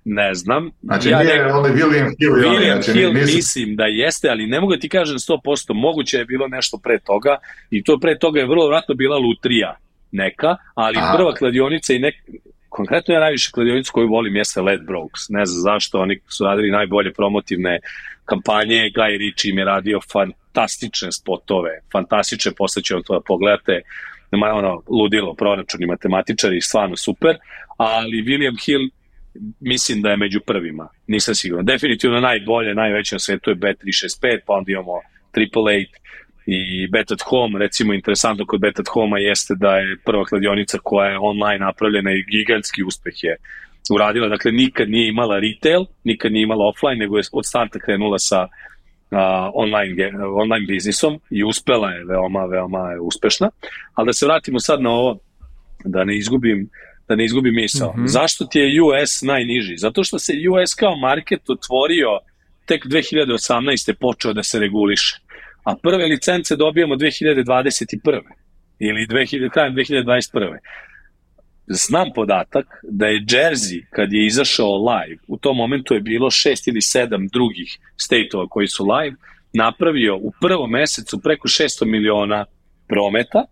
ne znam. Znači nije onaj William Hill. William Hill mislim da jeste, ali ne mogu da ti kažem 100%, moguće je bilo nešto pre toga i to pre toga je vrlo vratno bila lutrija neka, ali prva kladionica i konkretno ja najviše kladionicu koju volim jeste Ladbrokes. Ne znam zašto, oni su radili najbolje promotivne kampanje, Guy Ritchie im je radio fantastične spotove, fantastične, postaće vam to da pogledate, ludilo, proračuni, matematičari, stvarno super, ali William Hill mislim da je među prvima, nisam siguran. Definitivno najbolje, najveće na svetu je Bet365, pa onda imamo Triple 8 i Bet at Home. Recimo, interesantno kod Bet at Home-a jeste da je prva kladionica koja je online napravljena i gigantski uspeh je uradila. Dakle, nikad nije imala retail, nikad nije imala offline, nego je od starta krenula sa online biznisom i uspela je veoma uspešna. Ali da se vratimo sad na ovo, da ne izgubim misao. Zašto ti je US najniži? Zato što se US kao market otvorio tek 2018. počeo da se reguliše. A prve licence dobijamo 2021. ili krajem 2021. Znam podatak da je Jersey, kad je izašao live, u tom momentu je bilo 6 ili 7 drugih state-ova koji su live, napravio u prvom mesecu preko 600 miliona prometa,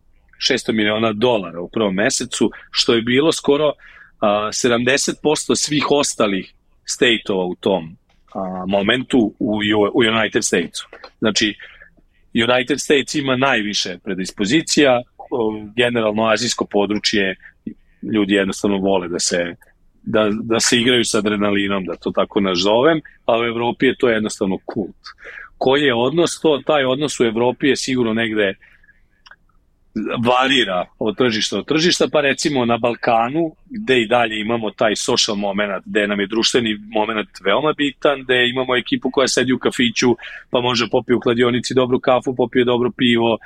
$600 miliona u prvom mesecu, što je bilo skoro 70% svih ostalih state-ova u tom momentu u United Statesu. Znači, United States ima najviše predispozicija, generalno azijsko područje, ljudi jednostavno vole da se igraju sa adrenalinom, da to tako nazovem, a u Evropi je to jednostavno kult. Koji je odnos to? Taj odnos u Evropi je sigurno negde varira od tržišta do tržišta, pa recimo na Balkanu, gde i dalje imamo taj social moment, gde nam je društveni moment veoma bitan, gde imamo ekipu koja sedi u kafiću, pa može popije u kladionici dobru kafu, popije dobro pivo,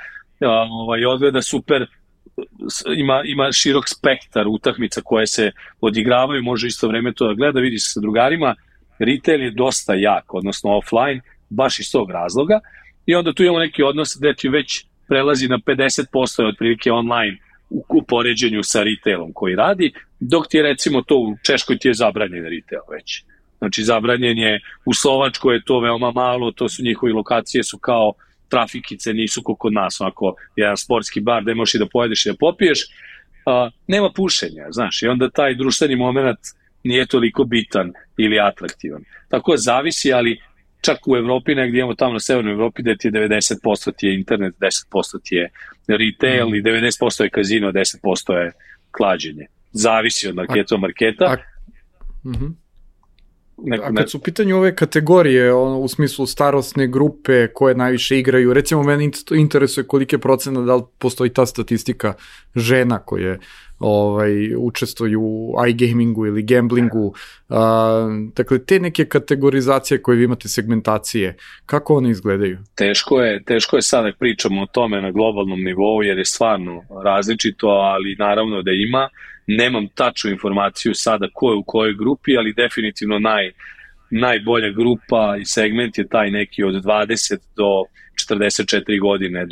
odgleda super, ima širok spektar utakmica koje se odigravaju, može isto vreme to da gleda, vidi se sa drugarima, retail je dosta jak, odnosno offline, baš iz tog razloga, i onda tu imamo neki odnos gde ti već prelazi na 50% otprilike online u poređenju sa retailom koji radi, dok ti je recimo to u Češkoj ti je zabranjen retail već. Znači zabranjen je, u Slovačkoj je to veoma malo, to su njihovi lokacije su kao trafikice, nisu kao kod nas, onako jedan sportski bar gde možeš i da pojedeš i da popiješ, nema pušenja, znaš, i onda taj društveni moment nije toliko bitan ili atraktivan. Tako zavisi, ali čak u Evropi, negdje imamo tamo na severnoj Evropi, gde ti je 90% ti je internet, 10% ti je retail i 90% je kazino, 10% je klađenje. Zavisi od marketa. A kad su u pitanju ove kategorije, u smislu starosne grupe koje najviše igraju, recimo mene interesuje kolike procena, da li postoji ta statistika žena koje učestvuju u iGamingu ili gamblingu, dakle te neke kategorizacije koje vi imate, segmentacije, kako one izgledaju? Teško je sada pričamo o tome na globalnom nivou jer je stvarno različito, ali naravno da ima. Nemam tačnu informaciju sada ko je u kojoj grupi, ali definitivno najbolja grupa i segment je taj neki od 20 do 44 godine,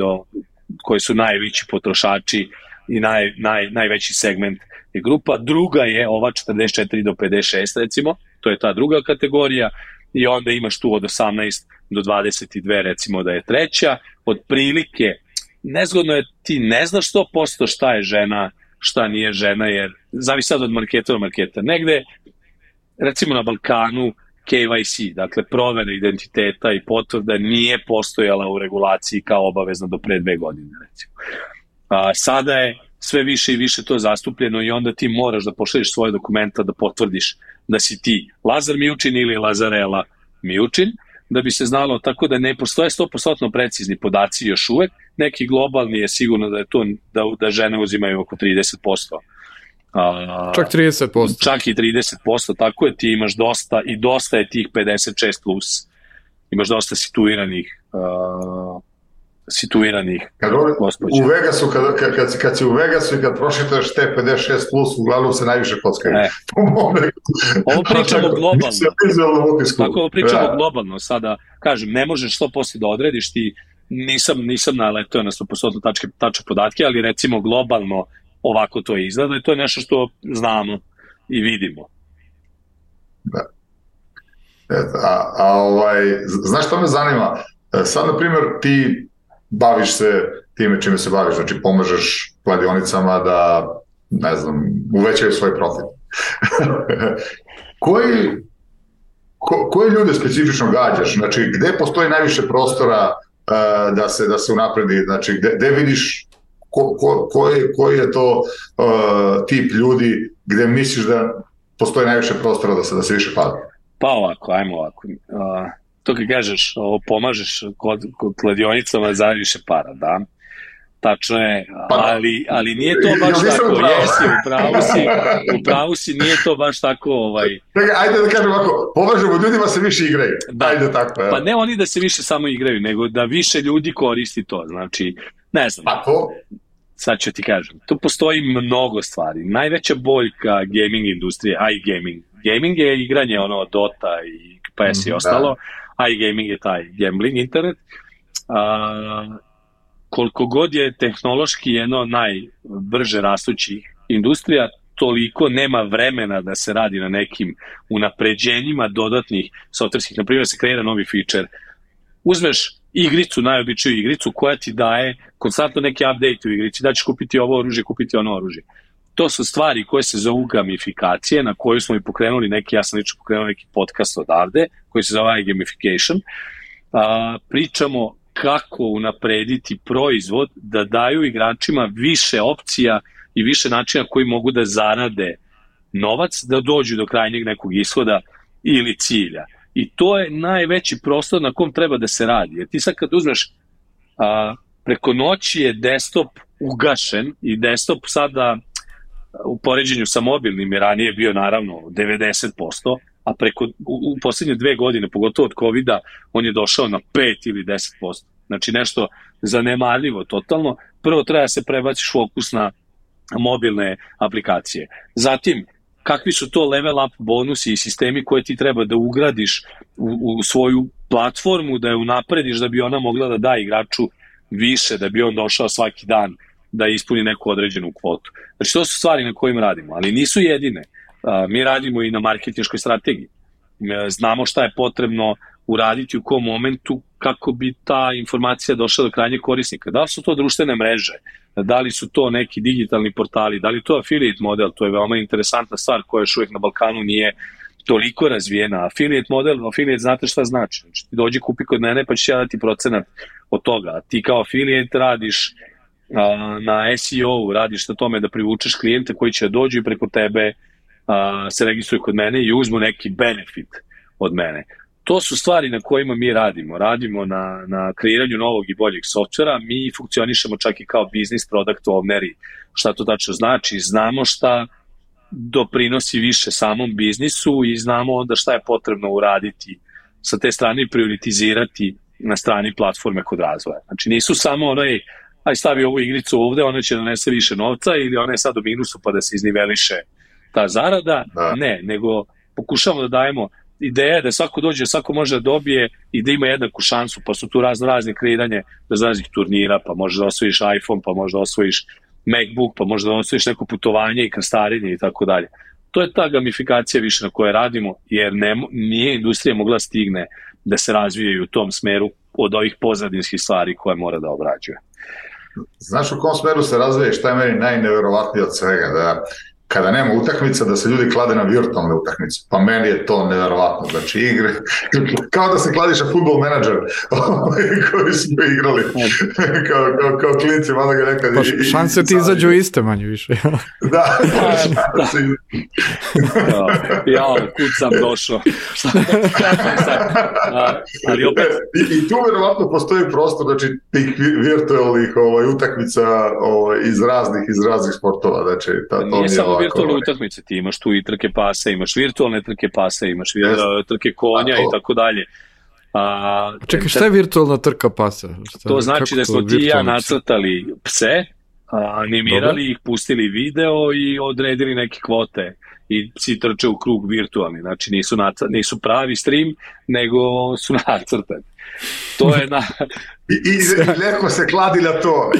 koji su najveći potrošači i najveći segment je grupa. Druga je ova 44 do 56 recimo, to je ta druga kategorija, i onda imaš tu od 18 do 22 recimo da je treća. Otprilike, nezgodno je, ti ne znaš 100% šta je žena, šta nije žena, jer zavisi sad od marketa do marketa. Negde, recimo na Balkanu, KYC, dakle provera identiteta i potvrda nije postojala u regulaciji kao obavezno do pre 2 godine, recimo. Sada je sve više i više to zastupljeno i onda ti moraš da pošalješ svoje dokumenta da potvrdiš da si ti Lazar Mijučin ili Lazarela Mijučin, da bi se znalo, tako da ne postoje 100% precizni podaci još uvek. Neki globalni je sigurno da je to da žene uzimaju oko 30%. Čak 30%. Čak i 30%, tako je, ti imaš dosta i dosta je tih 56 plus. Imaš dosta situiranih gospođa. U Vegasu, kad si u Vegasu i kad prošitaš te 56 plus, uglavnom se najviše kockaju. Ovo pričamo globalno. Tako ovo pričamo globalno. Sada, kažem, ne možeš 100% da odrediš, ti nisam naletao na 100% tačne podatke, ali recimo globalno ovako to izgleda i to je nešto što znamo i vidimo. Da. Znaš što me zanima? Sad, na primjer, ti baviš se time čime se baviš, znači pomažeš kladionicama da, ne znam, uvećaju svoj profit. Koje ljude specifično gađaš? Znači, gde postoji najviše prostora da se unapredi? Znači, gde vidiš koji je to tip ljudi gde misliš da postoji najviše prostora da se više pada? Pa ovako, ajmo ovako. To kad kažeš, pomažeš kod kladionicama za više para, da? Tačno je, ali nije to baš tako. Jesi, u pravu si, nije to baš tako. Ajde da kažem ovako, pomažemo ljudima se više igraju. Ajde tako. Pa ne oni da se više samo igraju, nego da više ljudi koristi to. Znači, ne znam. Pa to? Sad ću ti kažem. Tu postoji mnogo stvari. Najveća boljka gaming industrije, iGaming. Gaming je igranje Dota i PS i ostalo. iGaming je taj gambling internet. Koliko god je tehnološki jedno najbrže rastućih industrija, toliko nema vremena da se radi na nekim unapređenjima dodatnih softverskih. Naprimjer, se kreira novi feature. Uzmeš igricu, najobičniju igricu koja ti daje konstantno neki update u igrici, da ćeš kupiti ovo oružje, kupiti ono oružje. To su stvari koje se zovu gamifikacije, na koju smo i pokrenuli ja sam lično pokrenuo neki podcast odavde, koji se zove iGamification. Pričamo kako unaprediti proizvod da daju igračima više opcija i više načina koji mogu da zarade novac, da dođu do krajnjeg nekog ishoda ili cilja. I to je najveći prostor na kom treba da se radi. Jer ti sad kad uzmeš, preko noći je desktop ugašen i desktop sada u poređenju sa mobilnim je ranije bio naravno 90%, a u poslednje 2 godine, pogotovo od COVID-a, on je došao na 5 ili 10%. Znači nešto zanemarljivo totalno. Prvo treba da se prebaciš fokus na mobilne aplikacije. Zatim, kakvi su to level up bonusi i sistemi koje ti treba da ugradiš u svoju platformu, da je unaprediš da bi ona mogla da da igraču više, da bi on došao svaki dan da ispuni neku određenu kvotu. Znači, to su stvari na kojim radimo, ali nisu jedine. Mi radimo i na marketinškoj strategiji. Znamo šta je potrebno uraditi u kom momentu kako bi ta informacija došla do krajnjeg korisnika. Da li su to društvene mreže, da li su to neki digitalni portali, da li to affiliate model, to je veoma interesantna stvar koja još uvijek na Balkanu nije toliko razvijena. Affiliate znate šta znači? Znači, ti dođi kupi kod mene pa ću ja dati procenat od toga. Ti kao affiliate radiš na SEO, radiš na tome da privučeš klijente koji će dođu i preko tebe se registruju kod mene i uzmu neki benefit od mene. To su stvari na kojima mi radimo. Radimo na kreiranju novog i boljeg softvera. Mi funkcionišemo čak i kao business product owneri. Šta to tačno znači? Znamo šta doprinosi više samom biznisu i znamo onda šta je potrebno uraditi sa te strane i prioritizirati na strani platforme kod razvoja. Znači nisu samo aj stavi ovu igricu ovde, ona će donese više novca ili ona je sad u minusu pa da se izniveliše ta zarada. Ne, nego pokušamo da dajemo ideja je da svako dođe, svako može da dobije i da ima jednaku šansu, pa su tu razne kreiranje raznih turnira, pa možeš da osvojiš iPhone, pa možeš da osvojiš MacBook, pa možeš da osvojiš neko putovanje i krstarenje i tako dalje. To je ta gamifikacija više na kojoj radimo, jer nije industrija mogla stigne da se razvije u tom smeru od ovih pozadinskih stvari koje mora da obrađuje. Znaš u kom smeru se razvije, šta je meni najneverovatnije od svega, da kada nema utakmica, da se ljudi klade na virtualne utakmice. Pa meni je to neverovatno. Znači, igre, kao da se kladiš na Football Manager koji smo igrali kao klinci, mada ga nekad... Pa šanse ti izađu iste manje više. Da. Kud sam došao. Ali opet... I tu verovatno postoji prostor, znači, tih virtualnih utakmica iz raznih sportova. Znači, nije samo virtualne utakmice, ti imaš tu i trke pasa, imaš virtualne trke pasa, imaš trke konja i tako dalje. Čekaj, šta je virtualna trka pasa? To znači da smo ti i ja nacrtali pse, animirali ih, pustili video i odredili neke kvote i psi trče u krug virtualni, znači nisu pravi stream, nego su nacrtani. To je I neko se kladi na to.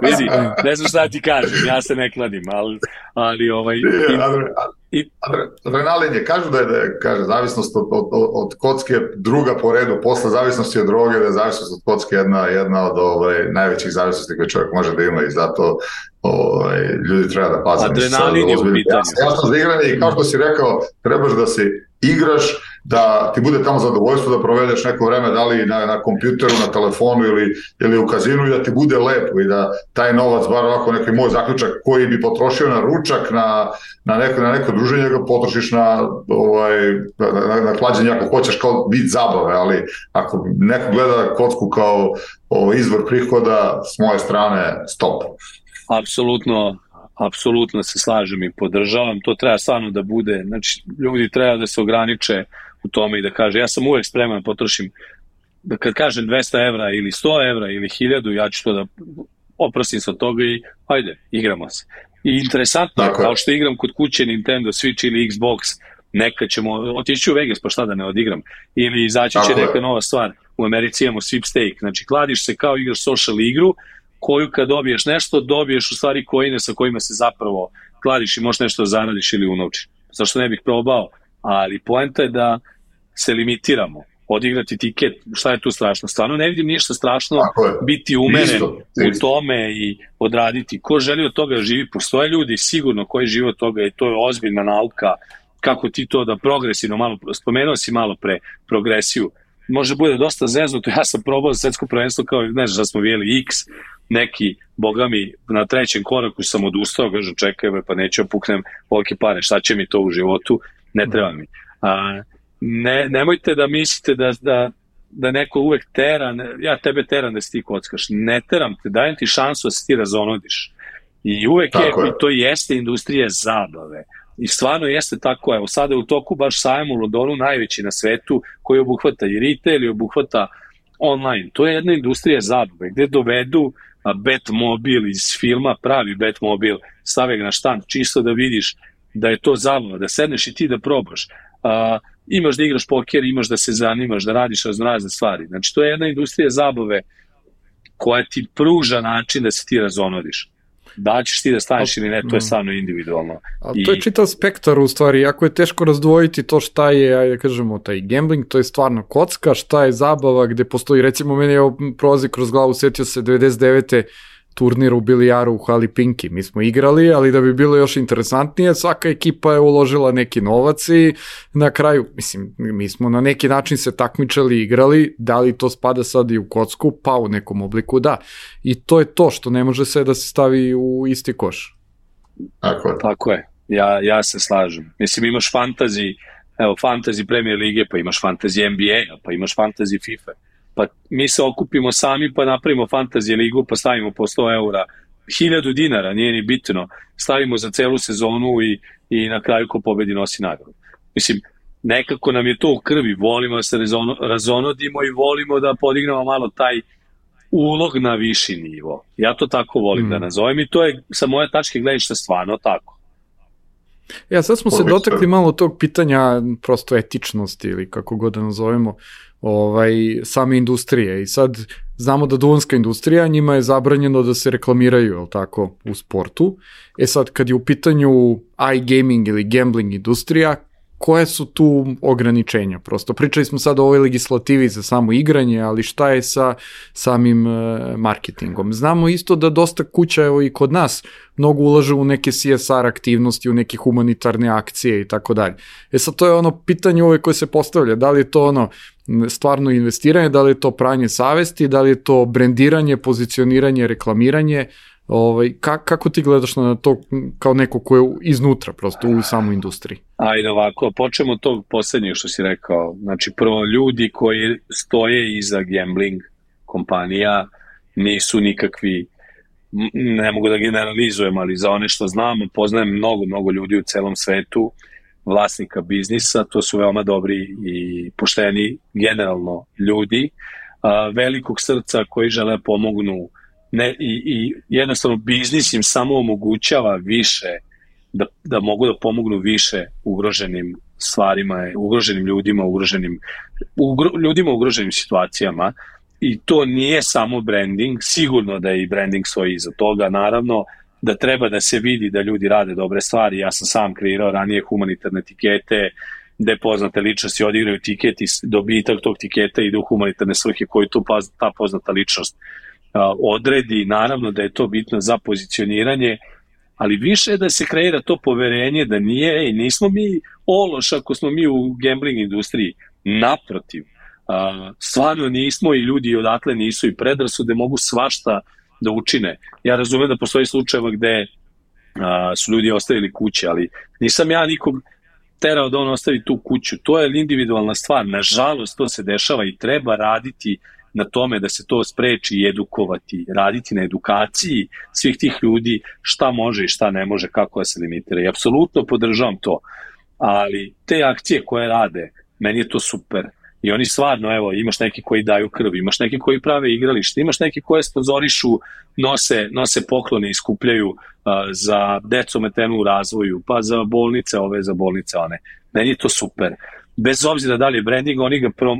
Vidi, ne znam šta ti kažem, ja se ne kladim, ali adrenalin je, kažu da je zavisnost od kocke druga po redu, posle zavisnosti od droge, da je zavisnost od kocke jedna od najvećih zavisnosti koje čovjek može da ima i zato ljudi treba da paze. Adrenalin je u pitanju. Jasno za igranje i kao što si rekao, trebaš da se igraš, da ti bude tamo zadovoljstvo da provedeš neko vreme, da li na kompjuteru, na telefonu ili u kazinu i da ti bude lepo i da taj novac, bar ovako neki moj zaključak koji bi potrošio na ručak, na neko druženje, ga potrošiš na klađenje ako hoćeš kao vid zabave, ali ako neko gleda kocku kao izvor prihoda, s moje strane, stop. Apsolutno se slažem i podržavam, to treba stvarno da bude, znači ljudi treba da se ograniče u tome i da kaže, ja sam uvek spreman da potrošim, da kad kažem 200 evra ili 100 evra ili 1000, ja ću to da oprostim se od toga i ajde, igramo se. I interesantno, kao što igram kod kuće Nintendo Switch ili Xbox, nekad ćemo otići u Vegas, pa šta da ne odigram, ili izaći će neka nova stvar, u Americi imamo sweepstake, znači kladiš se kao igraš social igru, koju kad dobiješ nešto, dobiješ u stvari coine sa kojima se zapravo kladiš i možeš nešto zaradiš ili unovčiš. Zašto ne bih probao? Ali poenta je da se limitiramo. Odigrati tiket, šta je tu strašno? Stvarno ne vidim ništa strašno biti umeren u tome i odraditi. Ko želi od toga živi? Postoje ljudi sigurno koji žive od toga i to je ozbiljna nauka kako ti to da progresivno malo, spomenuo si malo pre progresiju, može bude dosta zeznuto, ja sam probao za svetsko prvenstvo kao, ne znam šta smo vidjeli, X, neki, boga mi, na trećem koraku sam odustao, kažem, čekaj, pa neću puknem volke pare, šta će mi to u životu, ne treba mi. Nemojte da mislite da neko uvek tera, ja tebe teram da si ti kockaš, ne teram te, dajem ti šansu da se ti razonodiš. I uvek je, to jeste industrija zabave. I stvarno jeste tako, evo sada je u toku baš sajam u Londonu najveći na svetu koji obuhvata i retail i obuhvata online. To je jedna industrija zabave gde dovedu Batmobil iz filma, pravi Batmobil, stave ga na štand čisto da vidiš da je to zabava, da sedneš i ti da probaš. Imaš da igraš poker, imaš da se zanimaš, da radiš razne stvari. Znači to je jedna industrija zabave koja ti pruža način da se ti razonodiš. Da ćeš ti da staneš ili ne, to je stvarno individualno. To je čitav spektar u stvari, jako je teško razdvojiti to šta je, ajde kažemo, taj gambling, to je stvarno kocka, šta je zabava, gde postoji, recimo meni je prolazi kroz glavu, setio se 99. turnir u bilijaru u Hali Pinki, mi smo igrali, ali da bi bilo još interesantnije, svaka ekipa je uložila neki novac i na kraju, mislim, mi smo na neki način se takmičali, igrali, da li to spada sad i u kocku, pa u nekom obliku da. I to je to što ne može se da se stavi u isti koš. Tako je, ja se slažem. Mislim, imaš fantasy Premier Lige, pa imaš fantasy NBA, pa imaš fantasy FIFA. Pa mi se okupimo sami pa napravimo fantasy ligu pa stavimo po 100 eura, 1000 dinara, nije ni bitno, stavimo za celu sezonu i na kraju ko pobedi nosi nagradu. Mislim, nekako nam je to u krvi, volimo da se razonodimo i volimo da podignemo malo taj ulog na viši nivo. Ja to tako volim da nazovem i to je sa moje tačke gledišta stvarno tako. Sad smo se dotakli malo tog pitanja prosto etičnosti ili kako god da nazovemo same industrije i sad znamo da duvanska industrija, njima je zabranjeno da se reklamiraju, jel tako, u sportu. Sad kad je u pitanju iGaming ili gambling industrija, koje su tu ograničenja? Prosto pričali smo sad o ovoj legislativi za samo igranje, ali šta je sa samim marketingom? Znamo isto da dosta kuća, evo i kod nas, mnogo ulaže u neke CSR aktivnosti, u neke humanitarne akcije i tako dalje. Sad to je ono pitanje uvek koje se postavlja, da li je to stvarno investiranje, da li je to pranje savesti, da li je to brendiranje, pozicioniranje, reklamiranje, kako ti gledaš na to kao neko ko je iznutra prosto u samoj industriji? Ajde ovako, počnemo od tog poslednjeg što si rekao. Znači prvo, ljudi koji stoje iza gambling kompanija nisu nikakvi, ne mogu da generalizujem, ali za one što znamo, poznajem mnogo ljudi u celom svetu, vlasnika biznisa, to su veoma dobri i pošteni generalno ljudi, velikog srca koji žele pomognu. I jednostavno biznis im samo omogućava više da mogu da pomognu više ugroženim stvarima, ugroženim ljudima, ljudima u ugroženim situacijama, i to nije samo branding, sigurno da i branding stoji iza toga, naravno da treba da se vidi da ljudi rade dobre stvari. Ja sam sam kreirao ranije humanitarne tikete gde poznate ličnosti odigraju tiket i dobitak tog tiketa ide u humanitarne svrhe koju ta poznata ličnost odredi. Naravno da je to bitno za pozicioniranje, ali više je da se kreira to poverenje da nismo mi ološ ako smo mi u gambling industriji. Naprotiv, stvarno nismo i ljudi odatle nisu i predrasude mogu svašta da učine. Ja razumem da postoji slučajeva gde su ljudi ostavili kuće, ali nisam ja nikog terao da on ostavi tu kuću. To je individualna stvar. Nažalost, to se dešava i treba raditi na tome da se to spreči i edukovati, raditi na edukaciji svih tih ljudi šta može i šta ne može, kako da se limitira. I apsolutno podržavam to, ali te akcije koje rade, meni je to super. I oni stvarno, evo, imaš neki koji daju krv, imaš neki koji prave igralište, imaš neki koje sponzorišu, nose poklone i skupljaju za decu ometenu u razvoju, pa za bolnice ove, za bolnice one. Meni je to super. Bez obzira da li je branding,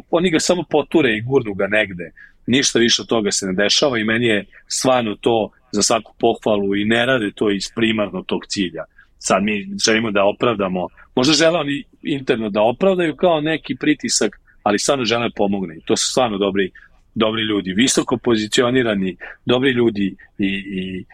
oni ga samo poture i gurnu ga negde. Ništa više od toga se ne dešava i meni je stvarno to za svaku pohvalu i ne rade to iz primarno tog cilja. Sad mi želimo da opravdamo, možda žele oni interno da opravdaju kao neki pritisak, ali stvarno žele pomogne. To su stvarno dobri ljudi, visoko pozicionirani, dobri ljudi i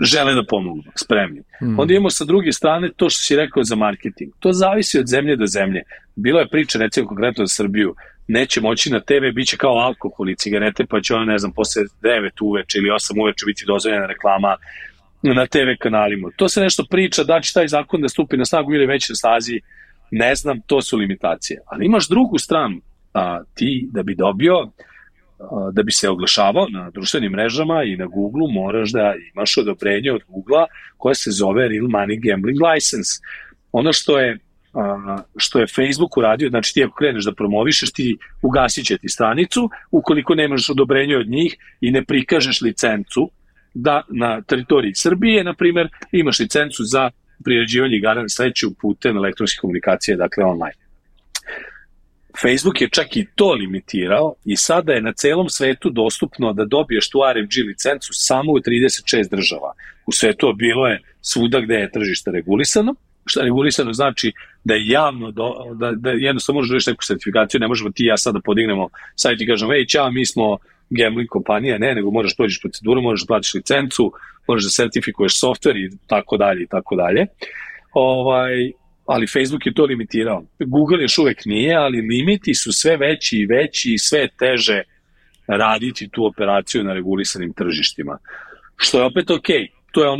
žele da pomognu, spremni. Onda imamo sa druge strane to što si rekao za marketing. To zavisi od zemlje do zemlje. Bilo je priča, recimo konkretno za Srbiju, neće moći na TV, bit će kao alkohol i cigarete, pa će posle 9 uveče ili 8 uveče biti dozvoljena reklama na TV kanalima. To se nešto priča, da će taj zakon da stupi na snagu ili već na snazi, ne znam, to su limitacije. Ali imaš drugu stranu, ti da bi dobio, da bi se oglašavao na društvenim mrežama i na Google-u moraš da imaš odobrenje od Google-a koje se zove Real Money Gambling License. Ono što je Facebook uradio, znači ti ako kreneš da promovišeš, ti ugasit će ti stranicu, ukoliko nemaš odobrenje od njih i ne prikažeš licencu da na teritoriji Srbije, na primer, imaš licencu za priređivanje igara na sreću putem elektronske komunikacije, dakle online. Facebook je čak i to limitirao i sada je na celom svetu dostupno da dobiješ tu RMG licencu samo u 36 država. U svetu bilo je svuda gde je tržište regulisano. Šta regulisano znači da je javno, da jednostavno možeš doći neku sertifikaciju, ne možemo ti ja sada podignemo sajt i kažemo, ćao, mi smo gambling kompanija, nego moraš prođeš proceduru, moraš da platiš licencu, moraš da sertifikuješ softver i tako dalje i tako dalje. Ali Facebook je to limitirao. Google još uvek nije, ali limiti su sve veći i veći i sve teže raditi tu operaciju na regulisanim tržištima. Što je opet okej. To je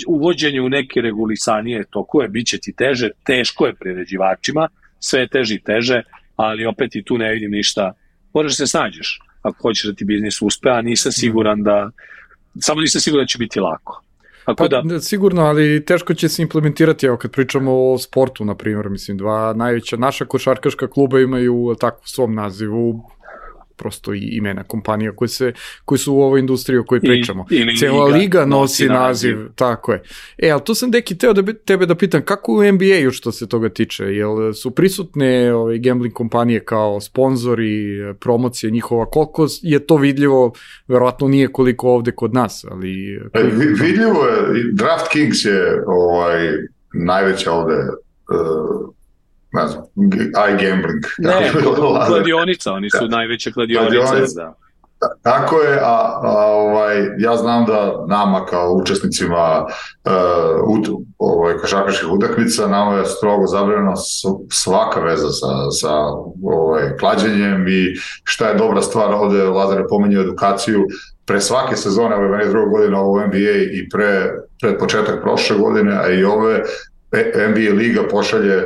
uvođenje u neke regulisanije tokove, bit će ti teže, teško je priređivačima, sve je teže i teže, ali opet i tu ne vidim ništa. Moraš se snađeš ako hoćeš da ti biznis uspe, a nisam siguran da će biti lako. Sigurno, ali teško će se implementirati, evo kad pričamo o sportu, na primjer, mislim, dva najveća naša košarkaška kluba imaju tako u svom nazivu prosto i imena kompanija koje su u ovoj industriji o kojoj pričamo. Cijela liga nosi naziv, tako je. Ali tu sam, Deki, teo tebe da pitam, kako u NBA-u što se toga tiče? Jel su prisutne gambling kompanije kao sponzori, promocije njihova? Koliko je to vidljivo? Verovatno nije koliko ovde kod nas, ali... Vidljivo je, DraftKings je najveća ovde, ne znam, iGambling. Ne, kladionica, oni su najveća kladionica, da. Tako je, ja znam da nama kao učesnicima košarkaških utakmica, nama je strogo zabranjena svaka veza sa klađenjem i šta je dobra stvar, ovde Lazar je pominjao edukaciju, pre svake sezone, ovo je meni druga godina u NBA i pred početak prošle godine, a i ove, NBA liga pošalje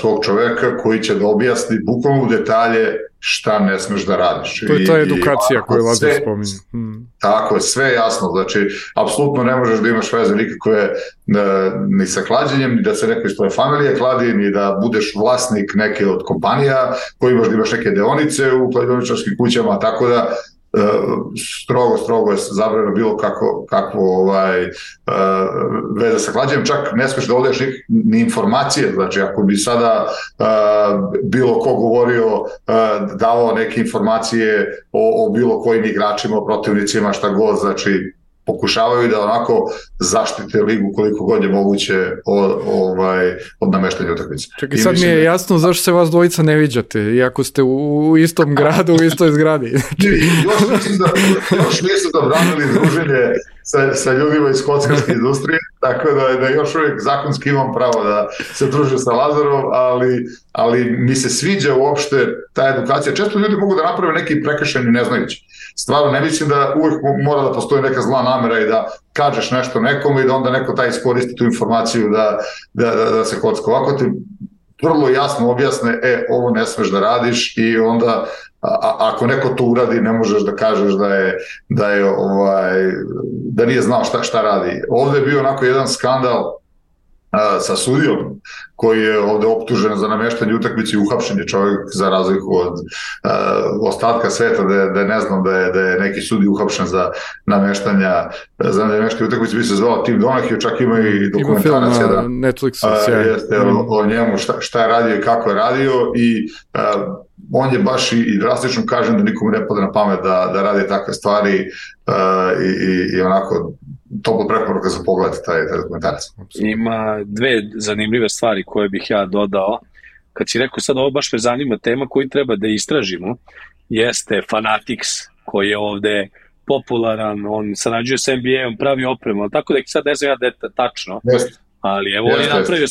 svog čoveka koji će da objasni bukvalno u detalje šta ne smeš da radiš. To je ta edukacija koju Lazar spominje. Tako je, sve je jasno. Znači, apsolutno ne možeš da imaš veze nikakve ni sa klađenjem, ni da se neko iz tvoje familije kladi, ni da budeš vlasnik neke od kompanija koji možda imaš neke deonice u kladioničarskim kućama, tako da strogo je zabranjeno bilo kakvo veze sa klađenjem, čak ne smeš da odeš ni informacije, znači ako bi sada bilo ko govorio, davao neke informacije o bilo kojim igračima, o protivnicima, šta god, znači pokušavaju da onako zaštite ligu koliko god je moguće od nameštanja utakmice. Čekaj, sad mi je jasno zašto se vas dvojica ne viđate, iako ste u istom gradu, u istoj zgradi. Još nisu zabranili druženje sa ljudima iz kockarske industrije, tako da još uvijek zakonski imam pravo da se družim sa Lazarom, ali mi se sviđa uopšte ta edukacija. Često ljudi mogu da naprave neki prekršajni neznajući. Stvarno, ne mislim da uvijek mora da postoji neka zla namera i da kažeš nešto nekome i da onda neko taj iskoristi tu informaciju da se kocka. Ovako ti vrlo jasno objasne, ovo ne smeš da radiš i onda ako neko to uradi ne možeš da kažeš da nije znao šta radi. Ovde je bio onako jedan skandal sa sudijom koji je ovde optužen za nameštanje utakmice i uhapšen je čovjek za razliku od ostatka sveta da ne znam da je neki sudij uhapšen za nameštanje utakmice, bi se zvao Tim Donahue, čak ima i dokumentarac na Netflixu o njemu šta je radio i kako je radio i on je baš i drastično kažem da nikomu ne pada na pamet da radi takve stvari i onako toplo preporuka za pogledati taj dokumentarac. Ima dve zanimljive stvari koje bih ja dodao. Kad si rekao sad ovo baš me zanima tema koju treba da istražimo, jeste Fanatics koji je ovde popularan, on sarađuje s NBA-om, pravi opremu, ali tako da sad ne znam ja da je tačno, ali evo on je napravio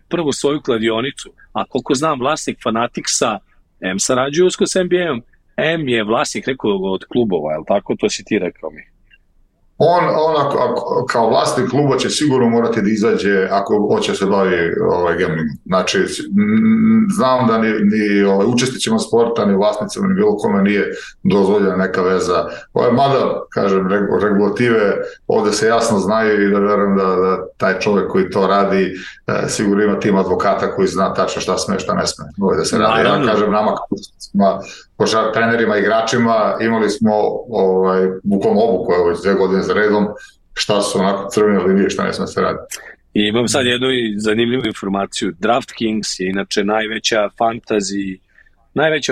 prvu svoju kladionicu, a koliko znam vlasnik Fanaticsa M sarađuje usko s NBA-om, M je vlasnik nekog od klubova, je li tako? To si ti rekao mi. On kao vlasnik kluba će sigurno morati da izađe ako hoće se bavi gamblingom. Znači, znam da ni učesnicima sporta, ni vlasnicima, ni bilo kome nije dozvoljena neka veza. Mada, kažem, regulative ovde se jasno znaju i da verujem da taj čovjek koji to radi sigurno ima tim advokata koji zna tačno šta sme, šta ne sme. Da se radi. Ja kažem nama kao učesnicima, trenerima, igračima, imali smo bukvalno obuku 2 godine za redom, šta su onako crvene linije, šta ne sme se radi. I imam sad jednu zanimljivu informaciju. DraftKings je inače najveća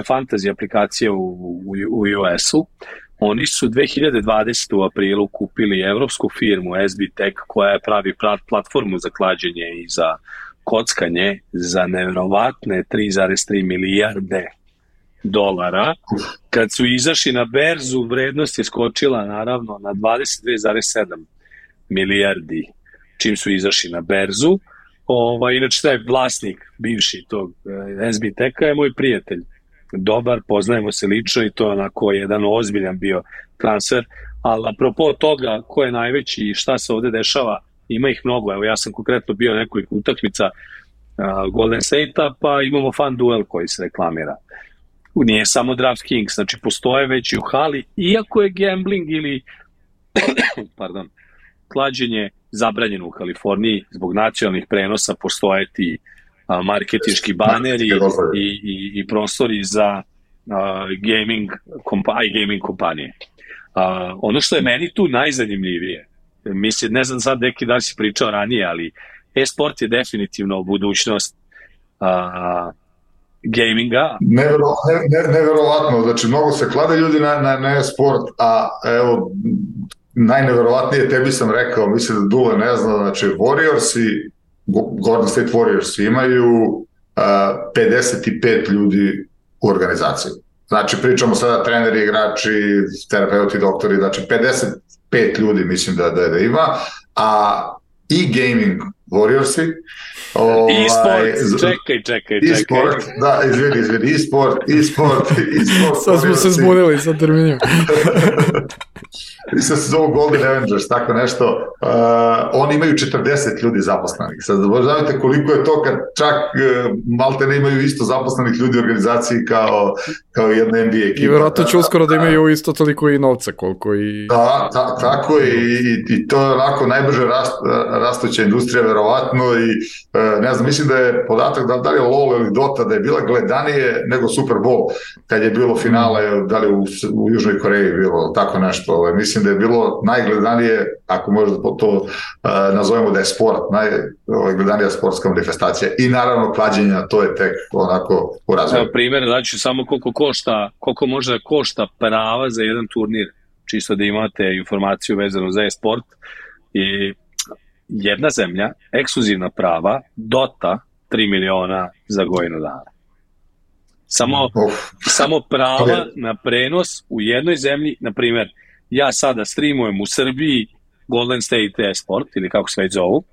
fantasy aplikacija u US-u. Oni su 2020. u aprilu kupili evropsku firmu SBTech koja pravi platformu za klađenje i za kockanje za nevjerovatne 3,3 milijarde dolara. Kad su izašli na berzu, vrednost je skočila naravno na 22,7 milijardi čim su izašli na berzu. Inače, taj vlasnik bivši tog SBTech-a je moj prijatelj. Dobar, poznajemo se lično i to je onako jedan ozbiljan bio transfer. Ali apropo toga ko je najveći i šta se ovde dešava, ima ih mnogo. Evo, ja sam konkretno bio nekoliko utakmica Golden State-a, pa imamo fan duel koji se reklamira. Nije samo DraftKings, znači postoje već i u hali, iako je gambling ili klađenje zabranjeno u Kaliforniji, zbog nacionalnih prenosa postoje ti marketinški baneri i prostori iGaming kompanije. Ono što je meni tu najzanimljivije, mislim, ne znam sad neki da li si pričao ranije, ali e-sport je definitivno budućnost gaminga. Neverovatno, znači mnogo se klade ljudi na e-sport, a evo, najneverovatnije, tebi sam rekao, mislim da Dule ne zna, znači Golden State Warriors imaju 55 ljudi u organizaciji. Znači pričamo sada treneri, igrači, terapeuti, doktori, znači 55 ljudi mislim da ima, a e-gaming Warriorsi. E-sport, čekaj. E-sport, da, izvini, e-sport. Sad smo se zbunili sa terminima. Mislim se zovu Golden Avengers, tako nešto. Oni imaju 40 ljudi zaposlenih. Sad znate koliko je to kad čak malte ne imaju isto zaposlenih ljudi u organizaciji kao jedna NBA ekipa. I vjerojatno će uskoro da imaju isto toliko i novca koliko i... Da, tako je i to je onako najbrže rastuća industrija verovatno i ne znam, mislim da je podatak da li je LOL ili Dota da je bila gledanije nego Super Bowl kad je bilo finale, da li u Južnoj Koreji bilo tako nešto. Mislim da je bilo najgledanije, ako možda to nazovemo da je sport, najgledanija sportska manifestacija i naravno klađenja, to je tek onako u razvoju. Evo primjer, znači samo koliko može da košta prava za jedan turnir, čisto da imate informaciju vezanu za e-sport. I jedna zemlja, ekskluzivna prava, Dota, 3 miliona za godinu dana. Samo prava na prenos u jednoj zemlji, na primjer, ja sada streamujem u Srbiji Golden State e-sport, ili kako se već zovu,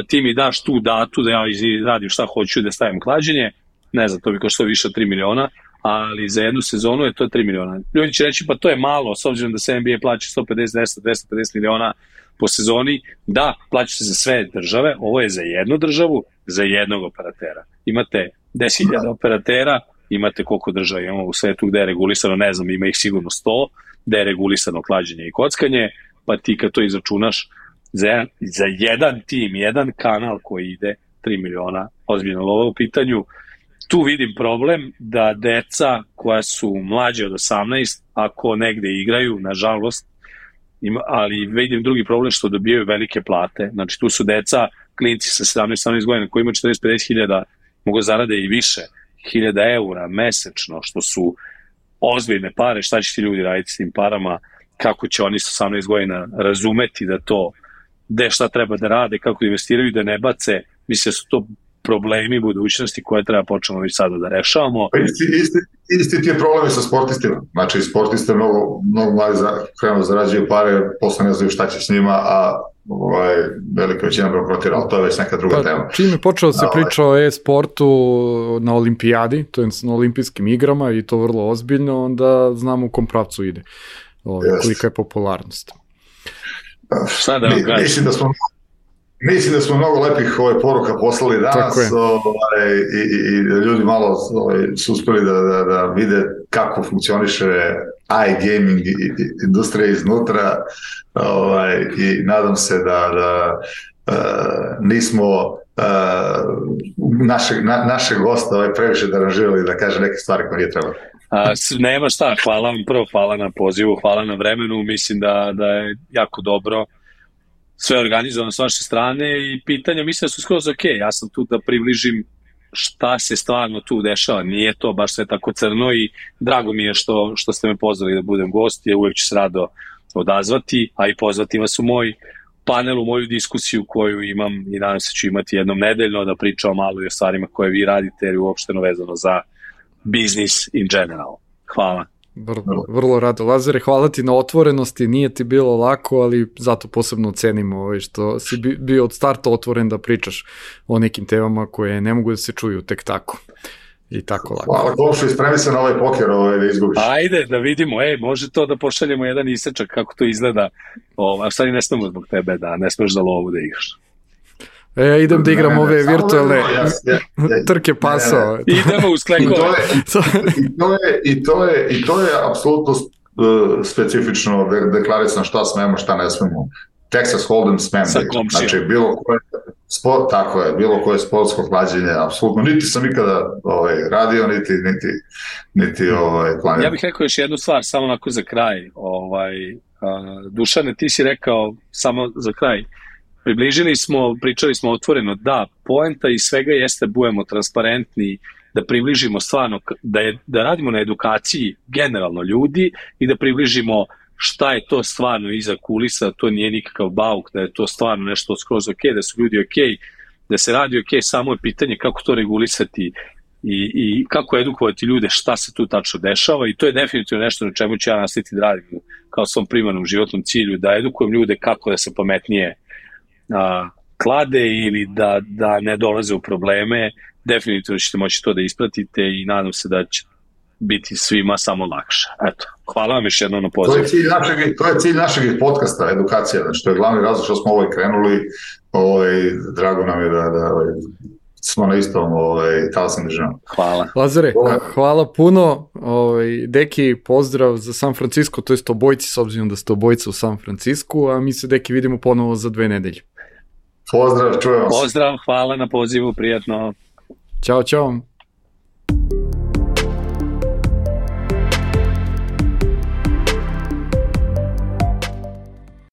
ti mi daš tu datu da ja radim šta hoću da stavim klađenje, ne znam, to bi koštalo više od 3 miliona, ali za jednu sezonu je to 3 miliona. Ljudi će reći, pa to je malo, s obzirom da se NBA plaća 150, 250 miliona po sezoni, da, plaća se za sve države, ovo je za jednu državu, za jednog operatera. Imate 10.000 operatera, imate koliko država imamo u svetu gde je regulisano, ne znam, ima ih sigurno 100, gde je regulisano klađenje i kockanje, pa ti kad to izračunaš za jedan tim, jedan kanal koji ide 3 miliona, ozbiljno lova u pitanju, tu vidim problem da deca koja su mlađe od 18, ako negde igraju, nažalost, ali vidim drugi problem što dobijaju velike plate, znači tu su deca, klinci sa 17 godina koji imaju 40-50 hiljada, mogu zarade i više, 1000 eura mesečno, što su ozbiljne pare, šta će ti ljudi raditi s tim parama, kako će oni sa 18 godina razumeti da to, gde šta treba da rade, kako da investiraju, da ne bace, mislim da su to problemi budućnosti koje treba počnemo već sada da rešavamo. Isti ti je problemi sa sportistima. Znači, sportiste mnogo mladi krenu zarađuju pare, posle ne znaju šta će s njima, a velika većina bankrotira, ali to je već neka druga tema. Čim je počeo se priča o e-sportu na olimpijadi, to je na olimpijskim igrama i to vrlo ozbiljno, onda znamo u kom pravcu ide, kolika je popularnost. Šta da vam kažem? Mislim da smo mnogo lepih poruka poslali danas i ljudi malo su uspeli da vide kako funkcioniše iGaming industrija iznutra i nadam se da nismo našeg gosta previše deranžirali da kaže neke stvari koje nije trebalo. Nema šta, hvala vam prvo, hvala na pozivu, hvala na vremenu, mislim da je jako dobro sve organizovano s vaše strane i pitanja mislim da su skroz ok, ja sam tu da približim šta se stvarno tu dešava, nije to baš sve tako crno i drago mi je što ste me pozvali da budem gost, ja uvek ću se rado odazvati, a i pozvati vas u moj panel, u moju diskusiju koju imam i nadam se ću imati jednom nedeljno da pričam malo i o stvarima koje vi radite jer je uopšteno vezano za business in general. Hvala. Vrlo rado. Lazare, hvala ti na otvorenosti, nije ti bilo lako, ali zato posebno cenimo što si bio od starta otvoren da pričaš o nekim temama koje ne mogu da se čuju tek tako i tako lako. Hvala komšu, ispremi se na ovaj poker da izgubiš. Ajde da vidimo, može to da pošaljemo jedan isečak kako to izgleda, a sad i ne smemo zbog tebe da ne smeš za lovu da igraš. Idem da igram ove virtualne trke pasao. Idemo uz klekove. I to je apsolutno specifično deklarisano šta smemo, šta ne smemo. Texas Hold'em smem. Znači, bilo koje sportsko hlađenje, apsolutno, niti sam ikada radio, niti planirao. Ja bih rekao još jednu stvar, samo onako za kraj. Dušane, ti si rekao, samo za kraj, pričali smo otvoreno, da, poenta i svega jeste budemo transparentni, da približimo stvarno, da radimo na edukaciji generalno ljudi i da približimo šta je to stvarno iza kulisa, to nije nikakav bauk, da je to stvarno nešto skroz ok, da su ljudi ok, da se radi ok, samo je pitanje kako to regulisati i kako edukovati ljude šta se tu tačno dešava i to je definitivno nešto na čemu ću ja nastaviti da radim kao svom primarnom životnom cilju, da edukujem ljude kako da se pametnije klade ili da ne dolaze u probleme. Definitivno ćete moći to da ispratite i nadam se da će biti svima samo lakše. Eto, hvala vam još jednom na pozivu. To je cilj našeg podcasta, edukacija, znači to je glavni razlog što smo krenuli, drago nam je da smo na istom talasnim državama. Hvala. Lazare, hvala puno. Deki, pozdrav za San Francisco, to jest obojci, s obzirom da ste obojica u San Francisco, a mi se, Deki, vidimo ponovo za 2 nedelje. Pozdrav, čujemo se. Pozdrav, hvala na pozivu, prijatno. Ćao, čao.